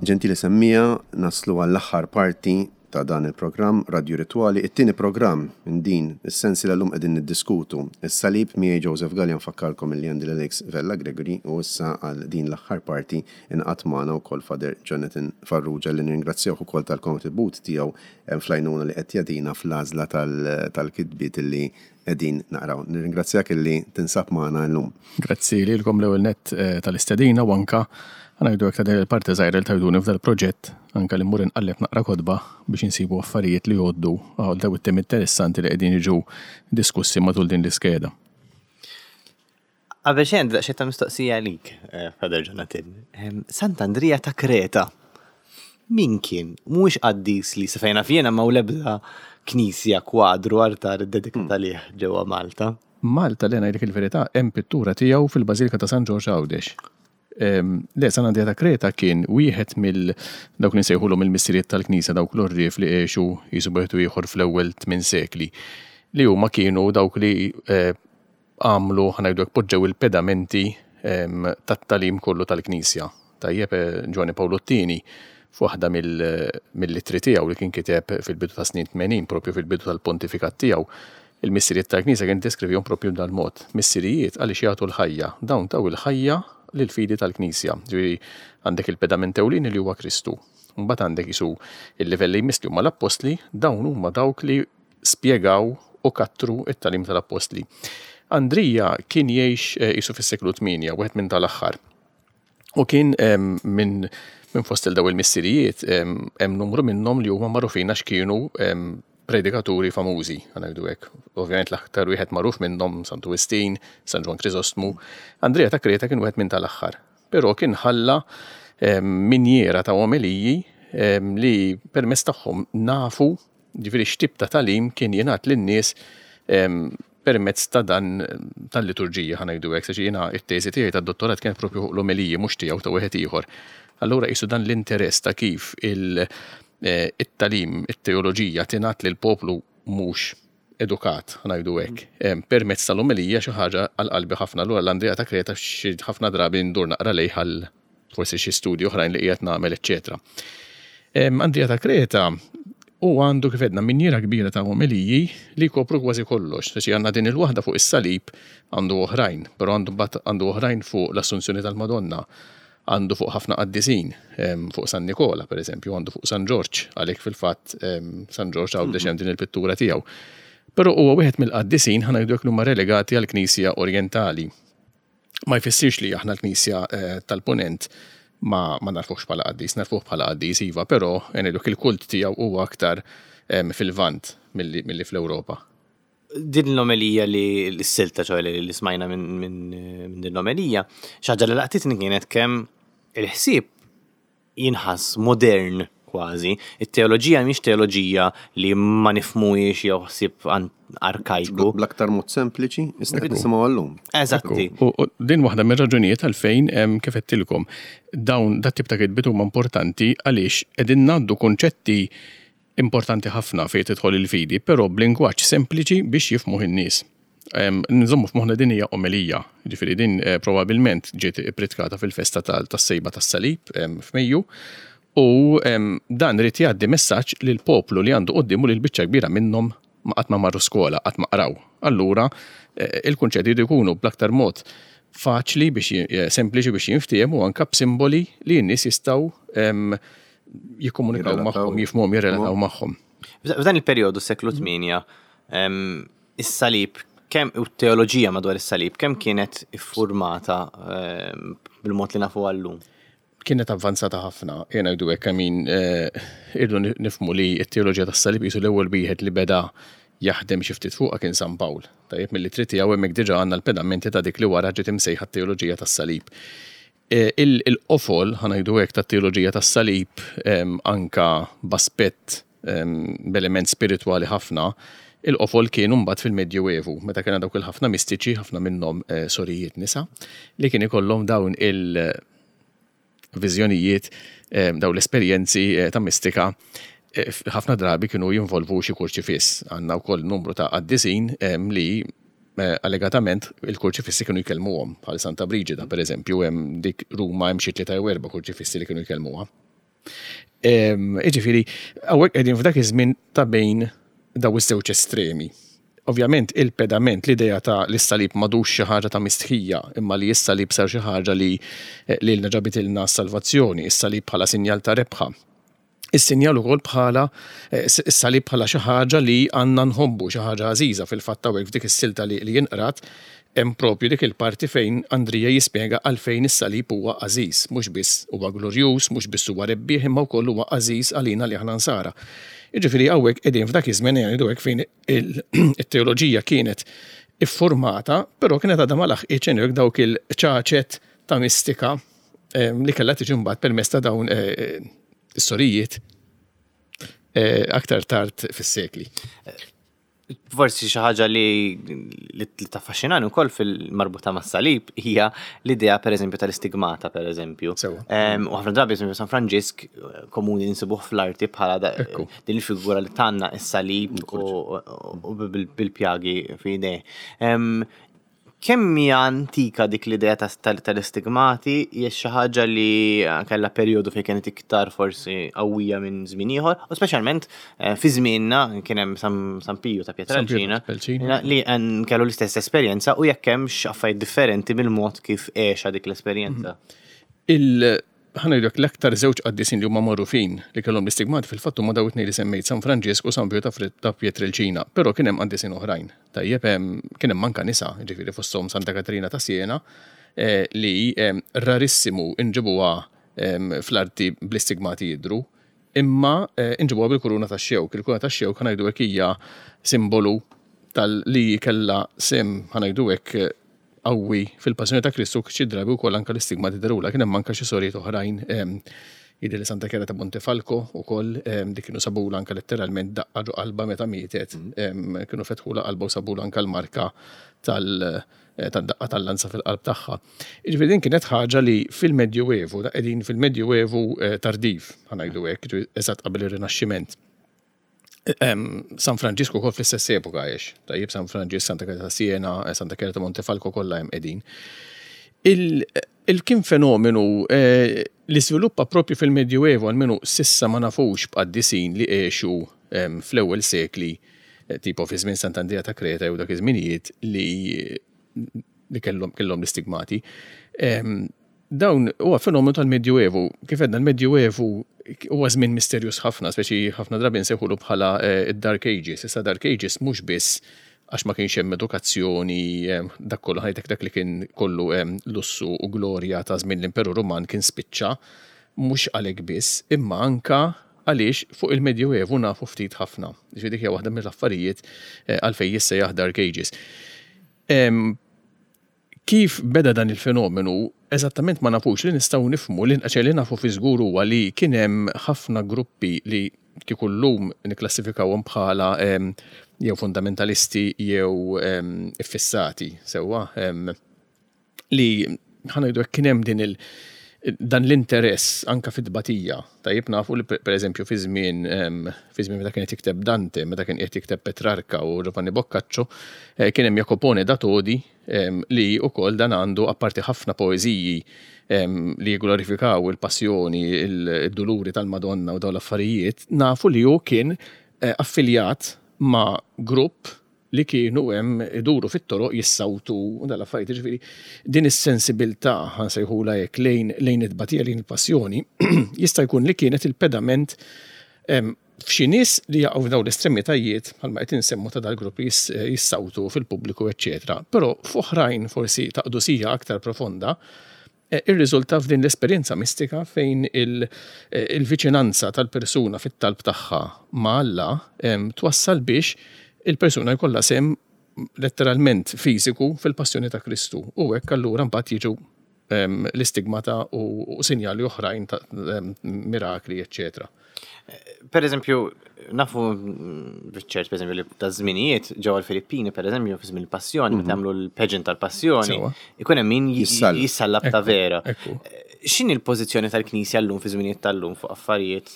Ġentili semmiegħa, naslu għall-aħħar parti ta' dan il-programm Radio Ritwali, it-tieni programm minn din is-sensiela. Llum qegħdin niddiskutu is-salib miegħi Joseph Gallia. Nfakkarkom li għandi l-Alex Vella Gregory u issa għal din l-aħħar parti ingħaqad magħna wkoll Father Jonathan Farrugia, li nirringrazzjawh ukoll tal-kontribut tiegħu fl-għajnuna li qed jagħtina fl-għażla tal-kitbiet li qegħdin naqraw. Nirringrazzjak illi tinsab magħna llum. Grazzi lilkom l-ewwel nett eh, tal-istedina u anka ħa ngħidu hekk ta' din il-parti żgħira li tajtuni f'dal proġett, anka li mmur inqalleb naqra kotba biex insibu affarijiet li jgħoddu għal daw it-temi interessanti li qegħdin jiġu diskussi matul din l-iskeda. Qabel xejn, daqsxejn ta' mistoqsija għalik, eh, Father Jonathan. Sant'Andrija ta' Kreta. Min kien? Mhuwiex qaddis li sa fejn naf jiena m'hawn l-ebda knisja, kwadru, artar dedikat għalih ġewwa Malta. Malta li ngħidlek il-verità, hemm pittura tiegħu fil-Bażilika ta' San Ġorġ Għawdex. Le, San Andrea ta' Kreta kien wieħed mill dawk li nsejħulhom il-missiriet tal-Knisja, dawk l-orrif li għexu jisu bejtu ieħor fl-ewwel tmien sekli, li huma kienu dawk li eh, għamlu, ħa ngħidu, poġġew il-pedamenti tat-tagħlim kollu tal-Knisja. Tajjeb, eh, Ġwanni Pawlu t-Tieni f'waħda mill-ittri tiegħu li kien kiteb fil-bidu ta' snin tmenin, propju fil-bidu tal-pontifikat tiegħu, il-missiriet tal-Knisja kien deskrivihom propju dal-mod. Missirijiet għaliex jagħtu l-ħajja, dawn taw il-ħajja lill-fidi tal-Knisja. Ġifieri għandek il-pedament ewlieni li huwa Kristu. Mbagħad għandek isu il-livell li jmiss li huma l-appostli, dawn huma dawk li spjegaw u kattru it-tagħlim tal-appostli. Andrija kien jgħix eh, isu fis-seklu tmienja, wieħed minn tal-aħħar. U kien minn minn fost il daw il-missirijiet, hemm numru minnhom li huma magħrufin għax kienu predikaturi famużi, ħa ngħidu hekk. Ovvjament l-aktar wieħed magħruf minnhom Santu Wistin, San Ġwann Krisostmu. Andrea ta' Kreta kien wieħed minn tal-aħħar. Però kien ħalla minjera ta' omeliji li permezz tagħhom nafu ġifieri x'tip ta' tagħlim kien jingħad lin-nies permezz ta' dan tal-liturġija, ħa ngħidu hekk, għax jiena it-teżi tiegħi tad-dottorat kien propju fuq l-omeliji, mhux tiegħu, ta' wieħed ieħor. Allura qisu dan l-interess ta' kif il-tagħlim, it-teoloġija tingħat lil poplu mhux edukat, ħa ngħidu hekk, permezz tal-omelija, xi ħaġa għal qalbi ħafna. Allura l-Andrea ta' Kreta xi ħafna drabi ndur naqra lejh għal forsi xi studji oħrajn li qiegħed nagħmel, eċċetera. Andrea ta' Kreta u għandu, kif għedna, minjera kbira ta' omeliji li kopru kważi kollox. Saċi għandna din il-waħda fuq is-salib, għandu oħrajn, però għandu għandu oħrajn fuq l-Assunzjoni tal-Madonna, għandu fuq ħafna qaddisin, fuq San Nikola, per eżempju, għandu fuq San Ġorġ, għalhekk fil-fatt San Ġorġ Għawdex hemm din il-pittura tiegħu. Però huwa wieħed mill-qaddisin, ħa ngħidu, li huma relegati għall-Knisja Orjentali. Ma jfissirx li aħna l-Knisja eh, tal-Punent ma, ma nagħrfuhx bħala qaddis, nagħrfuh bħala qaddis iva, però ngħidu il-kult tiegħu huwa aktar fil-Lvant milli, milli fl-Ewropa. Din l-omelija li l-silta ċoè li smajna minn min, min din l-omelija, xi ħaġa li laqtitni kienet kemm il-ħsieb jinħass modern kważi. It-teoloġija mhix teoloġija li ma nifhmuhiex jew ħsieb arkajku. Bl-aktar mod sempliċi, issa qed nisimgħu għallum. Eżatti. U din waħda mir-raġunijiet għalfejn, kif għedtilkom, dawn dat tip ta' kitbiet huma importanti, għaliex qegħdin ngħaddu konċetti importanti ħafna fejn tidħol il-fidi, però b'lingwaġġ sempliċi biex jifhmuh in-nies. Nżommu f'moħħna din hija omelija, ġifieri din eh, probabbilment ġiet ippritkata fil-festa tas-sejba tas-salib f'Mejju, u dan irid jgħaddi messaġġ lil poplu li għandu quddiemu, li l-biċċa kbira minnhom ma qatt ma marru skola, qatt ma qraw. Allura eh, il-kunċetti jridu jkunu bl-aktar mod faċli biex eh, sempliċi biex jinftiehmu, anka b'simboli li n-nies jistgħu jikkomunikaw magħhom, jifhmuhom, jirrelataw magħhom. F'dan il-perjodu, seklu tmienja, is-salib kemm u t-teoloġija madwar is-salib kemm kienet iffurmata bil-mod li nafu għallum? Kienet avvanzata ħafna, jena jdu hekk min eh, irdu nifhmu li t-teoloġija tas-salib jisu l-ewwel wieħed li beda jaħdem xi ftit fuqha kien San Pawl. Tajjeb, mill-ittri tiegħu hemmhekk diġà għandna l-pedamenti ta' dik li wara ġiet imsejħa t-teoloġija tas-salib. Eh, il-qofol, ħa ngħidu hekk, tat-teoloġija tas-salib, anka b'aspett, b'element spiritwali ħafna, il-qofol kien mbagħad fil-Medjuevu, meta kien dawk il-ħafna mistiċi, ħafna minnhom eh, sorijiet nisa, li kien ikollhom dawn il-viżjonijiet, dawn l-esperjenzi eh, ta' mistika, ħafna drabi kienu jinvolvu xi kurċifiss. Għandna wkoll numru ta' qaddisin li allegatament il-kurċifissi kienu jkellmuhom, bħal Santa Brigida, per eżempju, hemm dik Ruma hemm xi tlieta jew erba' kurċifissi li kienu jkellmuha. Jiġifieri, hawnhekk qegħdin f'dak iż-żmien ta' bejn daw iż-żewġ estremi. Ovvjament il-pedament, l-idea ta' li s-salib m'għadux xi ħaġa ta' mistħija, imma li s-salib sar xi ħaġa li lilna ġabitilna s-salvazzjoni, is-salib bħala sinjal ta' rebħa. Is-sinjal ukoll bħala is-salib bħala xi ħaġa li għandna nħobbu, xi ħaġa għażiża. Fil-fatt hawnhekk f'dik is-silta li jinqrat hemm propju dik il-parti fejn Andrija jispjega għalfejn is-salib huwa għażiż, mhux biss huwa glorjuż, mhux biss huwa rebbieħ, imma wkoll huwa għażiż għalina li aħna nsara. Jiġifieri hawnhekk qegħdin f'dak iż-żmien, ngħidu hekk, fejn it-teoloġija kienet iffurmata, però kienet għadha ma laħqitx dawk il-ċaċet ta' mistika li kellha tiġi mbagħad permezz ta' dawn is-sorijiet aktar tard fis-sekli. Forsi xi ħaġa li li taffaxxinani wkoll fil-marbuta mas-salib hija l-idea, pereżempju, tal-istigmata, pereżempju. U ħafna drabi, eżempju, San Franġisk komuni nsibuh fl-arti bħala din il-figura li tanna is-salib u bil-pjagi f'idejh. Kemm hija antika dik l-idea tal-istigmati? Hija xi ħaġa li kellha perjodu fejn kienet iktar forsi qawwija minn żmien ieħor, u speċjalment fi żmienna kien hemm San Piju ta' Pietrelcina li kellu l-istess esperjenza, u jekk hemmx affarijiet differenti mill-mod kif għexha dik l-esperjenza. Ħa ngħidlek, l-aktar żewġ qaddisin li huma magħrufin li kellhom l-istigmati fil-fatt huma dawn it-tnejn li semmejt, San Franġisk u San Piju ta' Pietrelcina, però kien hemm qaddisin oħrajn. Tajjeb, kien hemm anke nisa, ġifieri fosthom Santa Katerina ta' Siena, li rarissimu inġibuha fl-arti bl-istigmati jidru, imma inġibuha bil-kuruna tax-xewk. Il-kuruna tax-xewk, ħa ngħidu hekk, hija simbolu tal-li kellha sehem, ħa ngħidu hekk, qawwi fil-passjoni ta' Kristu. Xi drabi wkoll anke l-istigmati dherulha. Kien hemm anke xi sorijiet oħrajn, jidher li Santa Chiara ta' Montefalco ukoll, dik kienu sabula anke letteralment daqqa ġo qalba meta mietet, kienu fetħula qalba u sabula anke l-marka tal-daqqa tal-lanza fil-qalb tagħha. Jiġifieri din kienet ħaġa li fil-Medjuevu, da qegħdin fil-Medjuevu tardiv, ħa ngħidu hekk, eżatt qabel ir-Rinaxximent. San Franġisku kol fl-istess epoka għex. Tajjeb, San Franġisk, Santa Chiara ta' Siena, Santa Chiara ta' Montefalco kollha hemm qegħdin. Il-kien fenomenu li sviluppa propju fil-Medjuevu, almenu s'issa ma nafux b'qaddisin li għexu fl-ewwel sekli, tipo fi żmien Sant'Andrea ta' Kreta jew dak iż-żminijiet, li li kellhom kellhom l-istigmati. Dawn huwa fenomenu tal-Medjuevu. Kif għedna, l-Medjuevu huwa żmien misterjuż ħafna, speċi ħafna drabi nsejħulu bħala id-Dark Ages. Issa Dark Ages mhux biss għax ma kienx hemm edukazzjoni, dak kollu ħajtek, dak li kien kollu lussu u glorja ta' żmien l-Imperu Ruman kien spiċċa, mhux għalhekk biss, imma anka għaliex fuq il-Medjuevu nafu ftit ħafna. Ġifieri dik hija waħda mill-affarijiet għalfejn jissejjaħ Dark Ages. Kif beda dan il-fenomenu, eżattament ma nafux. Li nistgħu nifhmu, li li nafu fi żgur huwa li kien hemm ħafna gruppi li kieku llum nikklassifikawhom bħala jew fundamentalisti jew iffissati, sewwa, li, ħa ngħidu, kien hemm din il- dan l-interess anka fit-tbatija. Tajjeb, nafu li per eżempju fi żmien fi żmien meta kien jikteb Dante, meta kien qed jikteb Petrarca u Giovanni Boccaccio, eh, kien hemm Jacopone da Todi li wkoll dan għandu apparti ħafna poeżiji li jglorifikaw il-passjoni, il-duluri tal-Madonna u dawn l-affarijiet, nafu li hu kien eh, affiljat ma' grupp li kienu hemm iduru fit-toroq jissawtu u dal-affarijiet. Ġifieri din is-sensibilità, ħa nsejħulha hekk, lejn lejn it-tbatija, lejn il-passjoni, jista' jkun li kienet il-pedament f'xi nies li jaqgħu f'dawn l-estremitajiet bħalma qed insemmu ta' dal-gruppi jissawtu fil-pubbliku, eċċetera. Però f'oħrajn forsi ta' qdusija aktar profonda, eh, irriżulta f'din l-esperjenza mistika fejn eh, il-viċinanza tal-persuna fit-talb tagħha ma' Alla twassal biex il-persuna jkollha sehem letteralment fiżiku fil-passjoni ta' Kristu. U hekk allura mbagħad jiġu l-istigmata u sinjali oħrajn ta' mirakli, eccetera. Per eżempju, nafu ċert, per eżempju, li ta' żminijiet ġewwa l-Filippini, per eżempju, fi żmien il-passjoni, meta jagħmlu l-pageant tal-passjoni, ikun hemm min jissallab ta' vera. X'inhi l-pożizzjoni tal-Knisja llum, fi żminijiet tal-lum, fuq affarijiet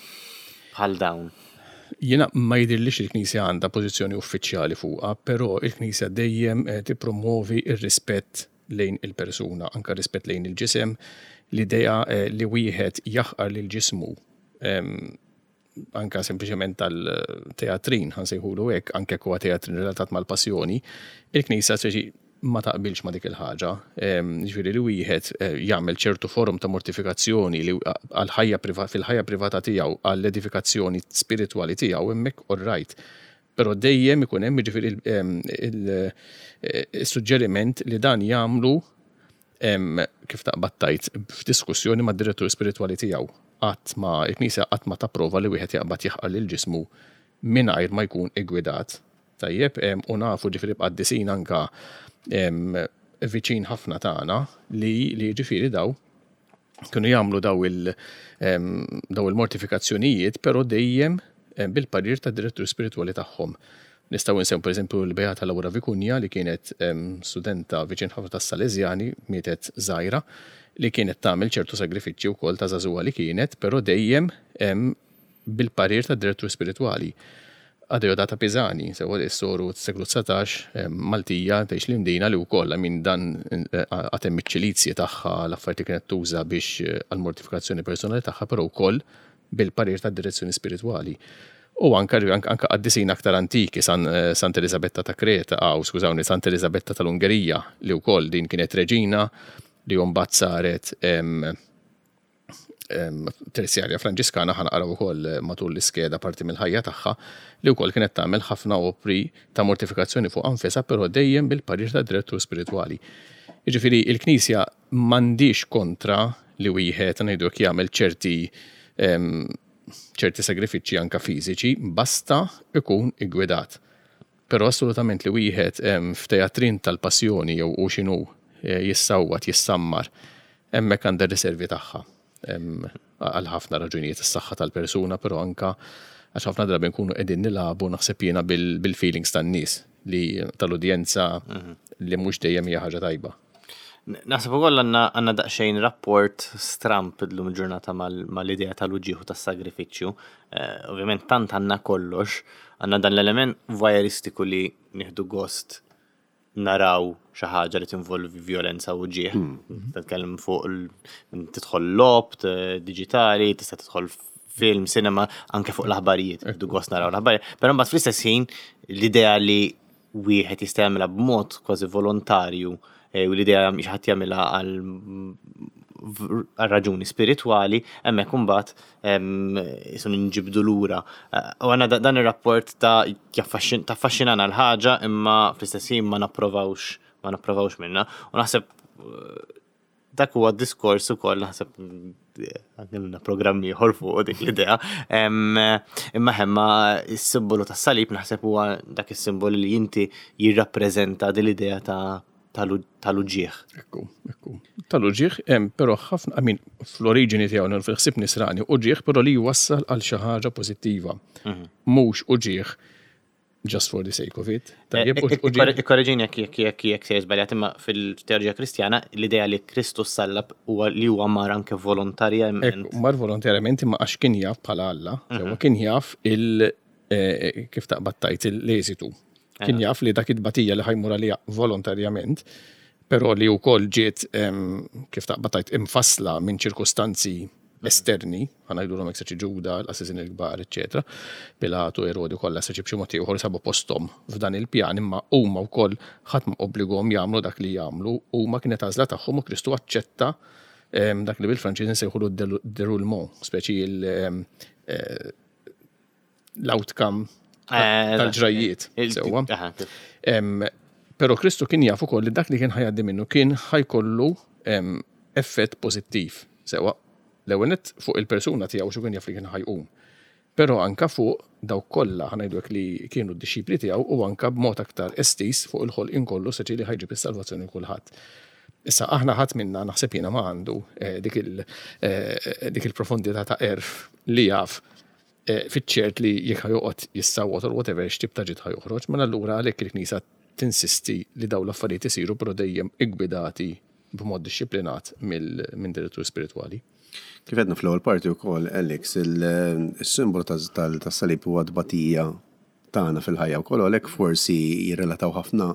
bħal dawn? Jiena ma jidhirlix il-Knisja għandha pożizzjoni uffiċjali fuqha, però il-Knisja dejjem eh, tippromovi ir-rispett lejn il-persuna, anka rispett lejn il-ġisem, l-idea eh, li wieħed jaħqar lil ġismu. Anka sempliċement tal-teatrin, ħa nsejħulu hekk, anke huwa teatrin relatat mal-passjoni, il-Knisja speċi ma taqbilx ma dik il-ħaġa. Ġifieri li wieħed eh, jagħmel ċertu forum ta' mortifikazzjoni li għal-ħajja fil-ħajja privata tiegħu, għall-edifikazzjoni spiritwali tiegħu, hemmhekk all right. Però dejjem ikun hemm, ġifieri, il-suġġeriment li dan jagħmlu, kif taqbad tgħid, f'diskussjoni mad-direttur spiritwali tiegħu. Qatt ma il-Knisja qatt ma tapprova li wieħed jaqbad jaħqar lil ġismu mingħajr ma jkun iggwidat. Tajjeb, u nafu ġifieri b'qaddisin anka viċin ħafna tagħna li li ġifieri daw kienu jagħmlu daw il daw il-mortifikazzjonijiet, però dejjem bil-parir ta' direttur spiritwali tagħhom. Nistgħu nsemmu pereżempju l-Beata Laura Vicuña, li kienet studenta viċin ħafna tas-Salesjani, mietet żgħira, li kienet tagħmel ċertu sagrifiċċji wkoll ta' żagħżugħa li kienet, però dejjem bil-parir ta' direttur spiritwali. Adeodata Pisani, sewa s-soru seklu dsatax, Maltija, tgħix l-Imdina, li wkoll minn dan għad hemm iċ-ċilizji tagħha, l-affarijiet kienet tuża biex eh, għal-mortifikazzjoni personali tagħha, però wkoll bil-parir ta' direzzjoni spiritwali. U anka anka qaddisin aktar antiki, San, eh, Santa Elisabetta ta' Kreta, aw skużawni, Santa Elisabetta tal-Ungerija, li wkoll din kienet reġina li mbagħad saret terzjarja Franġiskana, ħa naqraw ukoll matul l-iskeda parti mill-ħajja tagħha, li wkoll kienet tagħmel ħafna opri ta' mortifikazzjoni fuq anfisha, però dejjem bil-parir ta' direttur spiritwali. Jiġifieri il-Knisja m'għandix kontra li wieħed, ngħidu, jagħmel ċerti ċerti sagrifiċċji anka fiżiċi, basta ikun iggwidat. Però assolutament li wieħed f'teatrin tal-passjoni jew u x'inhu eh, jissawwat, jissammar, hemmhekk għandha riservi tagħha għal ħafna raġunijiet, is-saħħa tal-persuna, però anka għax ħafna drabi nkunu qegħdin nilagħbu, naħseb jiena, bil-feelings tan-nies li tal-udjenza, mhm. li mhux dejjem hija ħaġa tajba. Naħseb ukoll għandna għandna daqsxejn rapport stramp illum ġurnata mal-idea tal-uġigħ tas-sagrifiċċju. Eh, ovvjament tant għandna kollox, għandna dan l-element voyeuristiku li nieħdu gost naraw xi ħaġa li tinvolvi violenza u uġigħ. Hmm. Titkellem fuq tidħol logħob diġitali, tista' tidħol film, cinema, anke fuq l-aħbarijiet, nieħdu gost naraw l-aħbarijiet. Però mbagħad fl-istess ħin l-idea li wieħed jista' jagħmilha b'mod kważi volontarju eh, u l-idea xi ħadd jagħmilha għal għal raġuni spiritwali, hemmhekk imbagħad jisun nġibdu lura. Eh, u għandna dan ir-rapport ta' taffaxxinana l-ħaġa, imma fl-istess ħin ma napprovawx ma napprovawx minna. U naħseb eh, dak huwa diskors ukoll, naħseb għandna programmi ieħor fuq dik l-idea. Imma hemma is-simbolu tas-salib naħseb huwa dak is-simbolu li inti jirrappreżenta din l-idea ta' tal-uġigħ. Ekku, ekku. Tal-uġigħ, però ħafna, I mean, fl-oriġini tiegħu, fil-ħsieb nisrani, uġigħ però li jwassal għal xi ħaġa pożittiva. Mhm. Mhux uġigħ just for the sake of it. Tajjeb, Ikkorreġini jekk jekk jekk jekk se żbaljat, imma fil-teoloġija Kristjana l-idea li Kristu sallab huwa li huwa mar anke volontarjament. Mar volontarjament, imma għax kien jaf bħala Alla, mhm. kien jaf il eh, kif taqbad tgħid, l-eżitu. Kien jaf li dak it-tbatija li ħa jmur għalija volontarjament, però li wkoll ġiet, kif taqbad tgħid, imfassla minn ċirkustanzi esterni, ħa ngħidu l Ġuda, l-qassisin il-kbar, eccetera, Pilatu, Erodi, kollha seċi b'xi mod ieħor sabu posthom f'dan il-pjan, imma huma wkoll ħadd ma obbligahom jagħmlu dak li jagħmlu, huma kienet għażla tagħhom u Kristu aċċetta dak li bil-Franċiż nsejħulu déroulement, speċi eh, l-outcome eh, tal-ġrajiet. Sewwa. Però Kristu kien jaf ukoll li dak li kien ħa jgħaddi minnu kien ħa jkollu effett pożittiv. Sewwa, l-ewwel nett fuq il-persuna tiegħu, xu kien jaf li kien ħa jqum. Però anka fuq dawk kollha, ħa ngħidu, li kienu d-dixxipli tiegħu u anka b'mod aktar estiż fuq il-ħolqien kollu, seċi li ħa jġib is-salvazzjoni kulħadd. Issa aħna ħadd minna, naħseb jiena, ma għandu eh, dik eh, dik il-profondità ta' għerf li jaf eh, fiċ-ċert li jekk joqgħod jissawwat or whatever x'tip ta' ġid ħa joħroġ, mela allura għalhekk il-Knisja tinsisti li dawn l-affarijiet isiru però dejjem iggwidati b'mod dixxiplinat minn direttur spiritwali. Kif għedna fl-ewwel parti wkoll, Alex, il-simbolu tas-salib huwa tbatija tagħna fil-ħajja wkoll, għalhekk forsi jirrelataw ħafna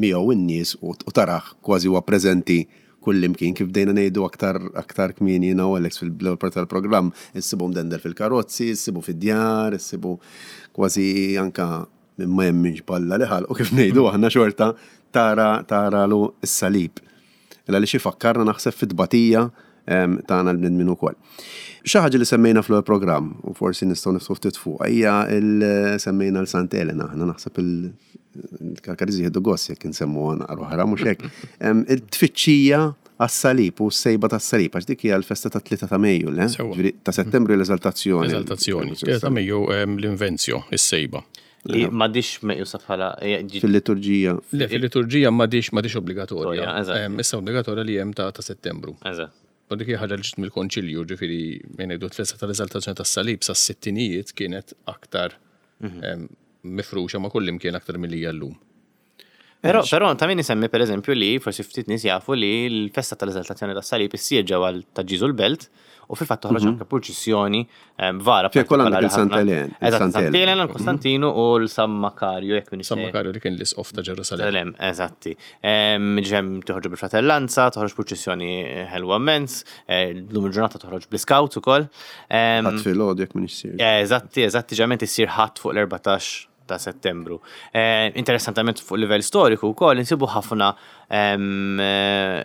miegħu in-nies u tarah kważi huwa preżenti Kullimkien, kif bdejna ngħidu aktar aktar kmieni jiena u Alex fil-ewwel parti tal-programm, issibu mdendel fil-karozzi, issibu fid-djar, issibu kważi anka minn ma jemminx b'Alla li ħalqu, kif ngħidu aħna, xorta tara taralu s-salib. Illa li xi fakkarna, naħseb, fit-tbatija em, tagħna l-bnedmin ukoll. Xi ħaġa li semmejna fl programm u forsi nistgħu niftħu ftit fuq hija il semmejna l Sant Elena, aħna naħseb il-Karkariżi jieħdu gost jekk insemmu naqra oħra, mhux hekk. Em, Il-tfittxija għas-salib u s-sejba tas-salib, għax dik hija l-festa ta' tlieta ta' Mejju, le? Sewwa. Ġifieri ta' Settembru l-eżaltazzjoni. Eżaltazzjoni. Ta' Mejju em, l-invenzjo, is-sejba. Li m'għadhiex meqjusa bħala eh, ġi- Fil-liturġija. Le, fil-liturġija m'għadhiex m'għadhiex obbligatorja. Eżatt. Em, Issa obbligatorja li hemm ta' ta' Settembru. Eżatt. U dik hija ħaġa li ġiet mill-Konċilju, ġifieri minn ngħidu t-festa tal-eżaltazzjoni tas-salib sas-sittinijiet kienet aktar em, mifruxa ma' kull imkien aktar milli hija llum. Però, però ta' min isemmi, per eżempju, li forsi ftit nies jafu li l-festa tal-eżaltazzjoni tas-salib issir ġewwa ta' Ġiżu l-Belt u fil-fatt toħroġ anke purċissjoni em, vara Fejn ukoll għandek partikolari il-Santa ħafna. Elena, Eżatt, il-Santa Santa Elena. Elena, l-Kostantinu u l-San Makarju, jekk minn San Makarju li kien l-isqof ta' Ġerusalemm. Salem, eżatti. Em, Ġem toħroġ bil-fratellanza, toħroġ purċissjoni ħelwa immens, eh, l-lum il-ġurnata toħroġ bl-scouts ukoll. Em, Ħadd filgħodu, jekk minn issir. Eh, Eżatti, eżatti, ġament issir Ħadd fuq l-erbatax ta' Settembru. Eh, interessantement fuq livell storiku wkoll insibu ħafna em, eh,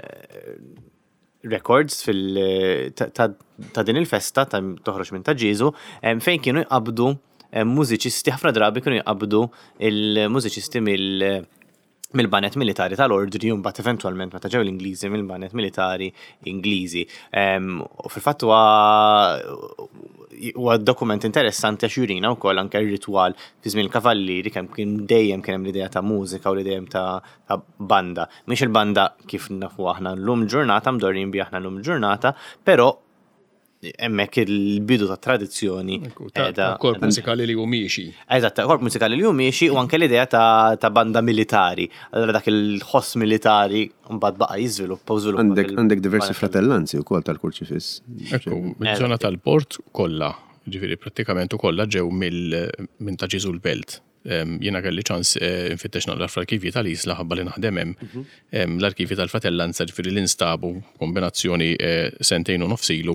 records fil ta, ta, ta' din il-festa ta' toħroġ minn ta' Ġiżu em, fejn kienu jqabdu em, mużiċisti, ħafna drabi kienu jqabdu il-mużiċisti mill mill-baned militari tal-ordni u mbagħad eventwalment meta ġew l-Ingliżi mill-baned militari Ingliżi. Em, U fil-fatt huwa huwa dokument interessanti għax jurina wkoll anke r-ritwal fi żmien il-kavallieri, kemm kien dejjem kien hemm l-idea ta' mużika u l-idea ta' ta' banda. Mhix il-banda kif nafu aħna llum ġurnata, mdorrin bi aħna llum ġurnata, però hemmhekk il-bidu ta' tradizzjoni Ta' ta' korp mużikali li hu miexi. Eżatt, ta' korp mużikali li hu miexi u anke l-idea ta', ta' banda militari. Allora dak il-ħoss militari mbagħad baqa' jiżviluppa u żviluppa. Għandek fil- għandek diversi fratellanzi wkoll tal-Kurċifiss. Ekku, mill-żona tal-port kollha, ġifieri prattikament kollha ġew mill minn ta' Ġiżu l-Belt. Em, Jiena kelli ċans eh, nfittex naqra fl-arkivji tal-Isla ħabba li naħdem hemm. Em, L-arkivji tal-fratellanza ġifieri li nstabu kombinazzjoni eh, sentejn u nofs ilu,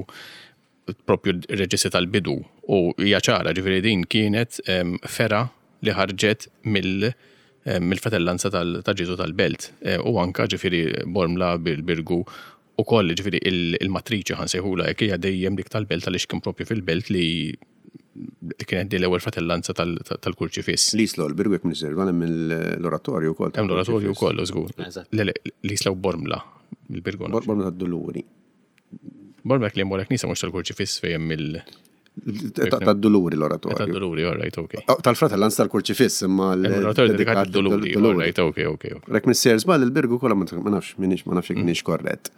propju r-reġistri tal-bidu, u hija ċara, ġifieri din kienet em, fergħa li ħarġet mill em, mill-fratellanza tal- ta' Ġiżu tal-Belt. Eh, U anka ġifieri Bormla bil-Birgu u koll, ġifieri il- il-matriċi ħa nsejħulha hekk hija dejjem dik tal-Belt, għaliex kien propju fil-Belt li li kienet di l-ewwel fratellanza tal- tal-Kurċifiss. L-Isla u l-Birgu, jekk minn issir, hemm l-oratorju wkoll. Hemm l-oratorju wkoll, żgur. Eżatt. Le, le, l-Isla u Bormla, il-Birgu. Bor- Bormla tad-Duluri. Bormla li hemm wara knisa mhux tal-Kurċifiss fejn hemm il- Ta- Tad-Duluri l-oratorju. Tad-Duluri, all right, okay. Oh, tal-fratellanza tal-Kurċifiss, imma Hemm l-oratorju dedikat lid-Duluri, all right, okay, okay. okay. Jekk minn sejjer żball, il-Birgu kollha ma ma nafx minix ma nafx jekk minix korrett.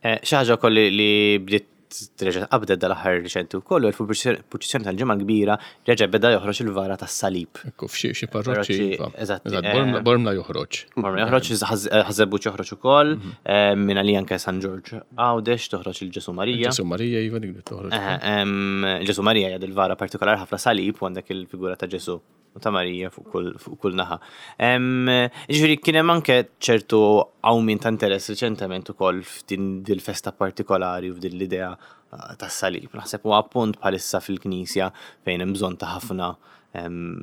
Eh, Xi ħaġa wkoll li li bdiet reġa' qabdet dal-aħħar riċenti wkoll, u fil-purċissjoni tal-Ġimgħa Kbira reġa' beda joħroġ il-vara tas-salib. Ekku, f'xi xi parroċċi. Parroċċi, Iva. eżatt, Eżatt, eh, Bormla- Bormla joħroġ. Bormla joħroġ, Ħaż-Żebbuġ joħroġ ukoll, eh, minn għalija anke San Ġorġ Għawdex toħroġ il-Ġesu Marija. Ġesu Marija, iva, dik li toħroġ. Eh, em, Ġesu Marija hija il-vara partikolari, ħafna salib u għandek il-figura ta' Ġesu u ta' Marija fuq kull fuq kull naħa. Em, Ġifieri kien hemm anke ċertu qawmien ta' interess riċentement ukoll f'din dil-festa partikolari u f'din l-idea eh, tas-salib. Naħseb huwa appunt bħalissa fil-Knisja fejn hemm bżonn ta' ħafna em,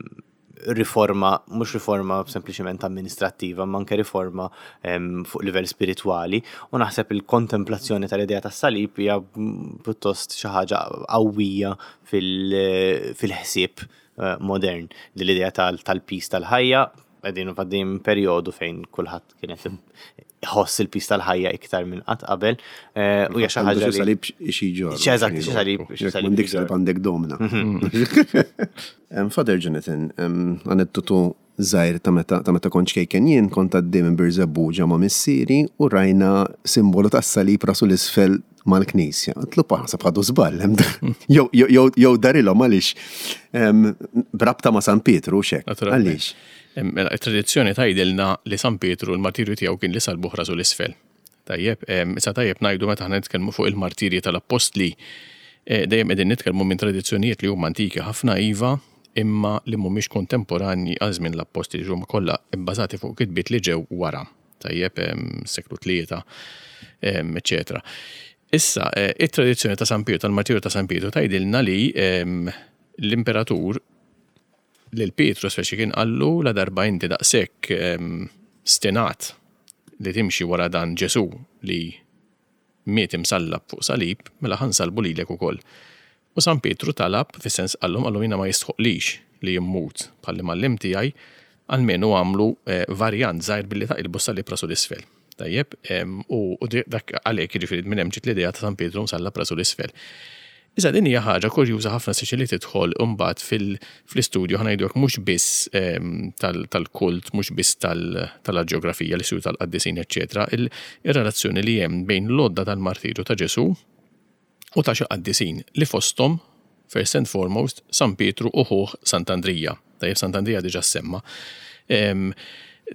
riforma, mhux riforma sempliċement amministrattiva, ma anke riforma em, fuq livell spiritwali, u naħseb il-kontemplazzjoni tal-idea tas-salib hija mm, pjuttost xi ħaġa qawwija fil- fil-ħsieb eh, modern, li l-idea tal- tal-piż tal-ħajja, qegħdin għaddejjin perjodu fejn kulħadd kienet iħoss il-piż tal-ħajja iktar minn qatt qabel eh, u hija xi Għandu ħaġa xi li salib xi ġor. Xi eżatt, xi salib- xi Jekk salib m'għandek xi salib ġor. għandek domna. Em, Father Jonathan, em, aneddotu żgħir ta' meta ta' meta kont ċkejken jien, kont għaddej minn Birżebbuġa ma' missieri u rajna simbolu tas-salib rasu l-isfel mal-knisja. Għedtlu, "Pa, naħseb ħadu żball, hemm da- jew jew jew darilhom għaliex em, brabta ma' San Pietru xek. Naturalment. Għaliex? Em, Mela, il-tradizzjoni tgħidilna li San Pietru l-martirju tiegħu kien li salbuh rasu l-isfel. Tajjeb, em, issa tajjeb ngħidu, meta aħna nitkellmu fuq il-martirji tal-appostli, eh, dejjem qegħdin nitkellmu minn tradizzjonijiet li huma antiki ħafna, iva, imma li mhumiex kontemporanji għal żmien l-appostli, li huma kollha bbażati fuq kitbiet li ġew wara. Tajjeb, seklu tlieta, eċċetera. Issa, eh, it-tradizzjoni ta' San Pietru, tal-martirju ta' San Pietru, tgħidilna li l-imperatur lil Pietru speċi kien qallu la darba inti daqshekk stenat li timxi wara dan Ġesu li miet imsallab fuq salib, mela ħa nsallbu lilek ukoll. U San Pietru talab, fis-sens qallhom qallhom jiena ma jistħoqlix li jimmut bħall-imgħallem tiegħi, almenu għamlu eh, varjant żgħir billi taqilbu salib rasu l-isfel. Tajjeb, u dak għalhekk jiġifieri minn hemm ġiet l-idea ta' San Pietru msallab rasu l-isfel. Issa din hija ħaġa kurjuża ħafna siċi li tidħol imbagħad fil-istudju ħa ngħidu mhux biss tal-kult, mhux biss tal-ġeografija, l-istudju tal-qaddisin, eċċetera, ir-relazzjoni li hemm bejn l-għodda tal-martirju ta' Ġesu u ta' xi qaddisin li fosthom, first and foremost, San Pietru u ħuh Sant'Andrija. Tajjeb, Sant'Andrija diġà semma.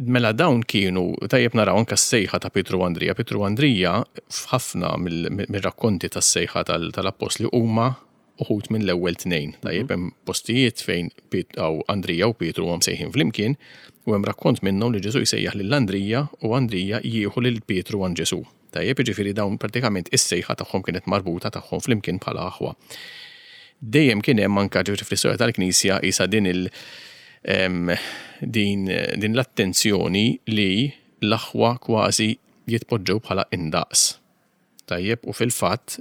Mela dawn kienu, tajjeb naraw anka s-sejħa ta' Pietru u Andrija. Pietru u Andrija f'ħafna mill-rakkonti tas-sejħa tal-appostli huma uħud minn l-ewwel tnejn. Tajjeb, hemm postijiet fejn Andrija u Pietru huma msejħin flimkien u hemm rakkont minnhom li Ġesu jsejjaħ lil Andrija u Andrija jieħu lil Pietru għand Ġesu. Tajjeb, jiġifieri dawn pratikament is-sejħa tagħhom kienet marbuta tagħhom flimkien bħala aħwa. Dejjem kien hemm anka ġifieri fl-istorja tal-Knisja isa din il- din, din l-attenzjoni li l-aħwa kważi jitpoġġew bħala indaqs. Tajjeb, u fil-fatt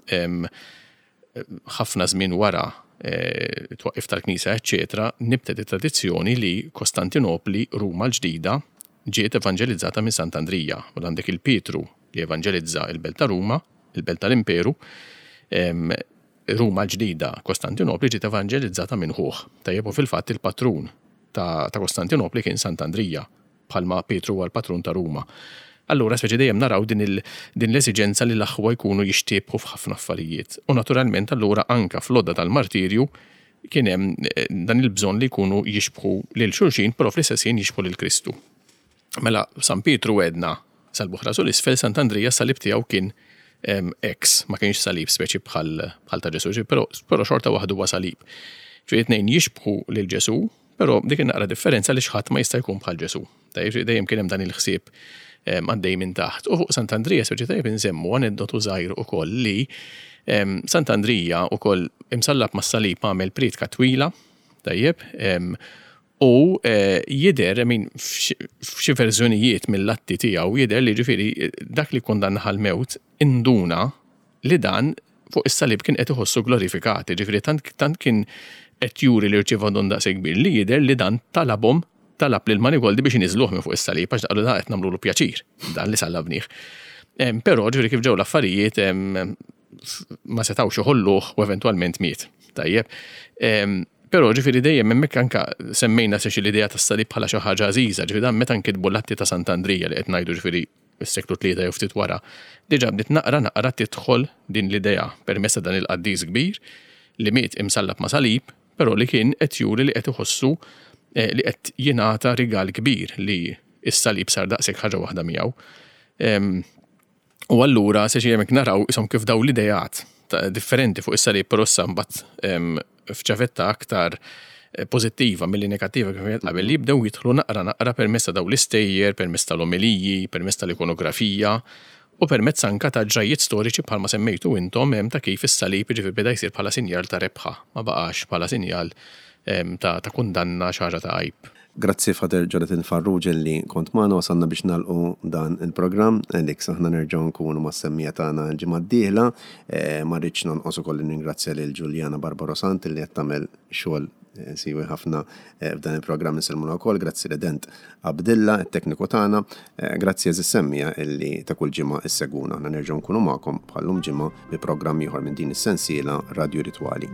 ħafna żmien wara e, twaqqif tal-Knisja, eċċetera, nibtet it-tradizzjoni li Kostantinopli, Ruma l-ġdida, ġiet evanġelizzata minn Sant'Andrija. U għandek il-Pietru li evanġelizza il-Belt ta' Ruma, il-Belt tal-Imperu, Ruma l-ġdida, Kostantinopli ġiet evanġelizzata minn ħuh. Tajjeb, u fil-fatt il-patrun ta', ta' Kostantinopli kien Sant'Andrija, bħalma Pietru huwa l-patrun ta' Ruma. Allura speċi dejjem naraw din, il, din l-esiġenza li l-aħwa jkunu jixtiebħu f'ħafna affarijiet. U naturalment allura anka fl-għodda tal-martirju kien hemm eh, dan il-bżonn li jkunu jixbħu lil xulxin, però fl-istess ħin jixbħu lil Kristu. Mela San Pietru għedna salbuh rasu l-isfel, Sant'Andrija salib tiegħu kien X, ma kienx salib speċi bħal, bħal ta' Ġesu, però, però xorta waħdu huwa salib. Ġifieri tnejn jixbħu lil Ġesu, però dik naqra differenza li xħadd ma jista' jkun bħal Ġesu. Dejjem kien hemm dan il-ħsieb għaddej minn taħt. U fuq Sant'Andrija speċi tajjeb insemmu aneddotu żgħir ukoll li Sant'Andrija ukoll imsallab mas-salib għamel priedka twila, tajjeb, u jidher, min f'xi verżjonijiet mill-atti tiegħu jidher li ġifieri dak li kundanna għall-mewt induna li dan fuq is-salib kien qed iħossu glorifikat, ġifieri tant, tant kien qed juri li rċieva don daqshekk kbir li jidher li dan talabhom talab lil Manigoldi biex iniżluh minn fuq is-salib għax daqlu dan qed nagħmlulu pjaċir, dan li sallabnih. Però ġifieri kif ġew l-affarijiet ma setgħux iħolluh u eventwalment miet. Tajjeb. Però ġifieri dejjem hemmhekk anka semmejna se xi l-idea tas-salib bħala xi ħaġa għażiża, ġifieri dan meta nkitbu l-atti ta' Sant'Andrija li qed ngħidu ġifieri s-seklu tlieta jew ftit wara, diġà bdiet naqra naqra tidħol din l-idea permezz ta' dan il-qaddis kbir li miet imsallab ma' salib, però li kien qed juri li qed iħossu li qed jingħata rigal kbir li s-salib sar daqshekk ħaġa waħda miegħu. U allura se xi hemmhekk naraw ishom kif daw l-idejat differenti fuq is-salib, però issa mbagħad f'ċavetta aktar pożittiva milli negattiva kif qed qabel li jibdew jidħlu naqra naqra permezz ta' daw l-istejjer, permezz tal-omeliji, permezz tal-ikonografija u permezz anka ta' ġrajjiet storiċi bħalma semmejtu intom hemm ta' kif is-salib jiġifieri beda jsir bħala sinjal ta' rebħa, ma baqax bħala sinjal ta', ta' kundanna xi ħaġa ta' għajb. Grazzi Father Jonathan Farrugia li kont magħna, wasalna biex nagħlqu dan il-programm. Alex, aħna nerġgħu nkunu mas-semmija tagħna l-ġimgħa d-dieħla. Ma rridx nonqos ukoll ningrazzja lil Giuliana Barbaro Sant li qed tagħmel xogħol siwi ħafna f'dan il-programm, insellmuna wkoll. Grazzi Redent Abdilla, it-tekniku tagħna. Grazzi għażiż semmija illi ta' kull ġimgħa issegwuna. Aħna nerġgħu nkunu magħkom bħallum ġimgħa bi programm ieħor minn din is-sensiela Radio Ritwali.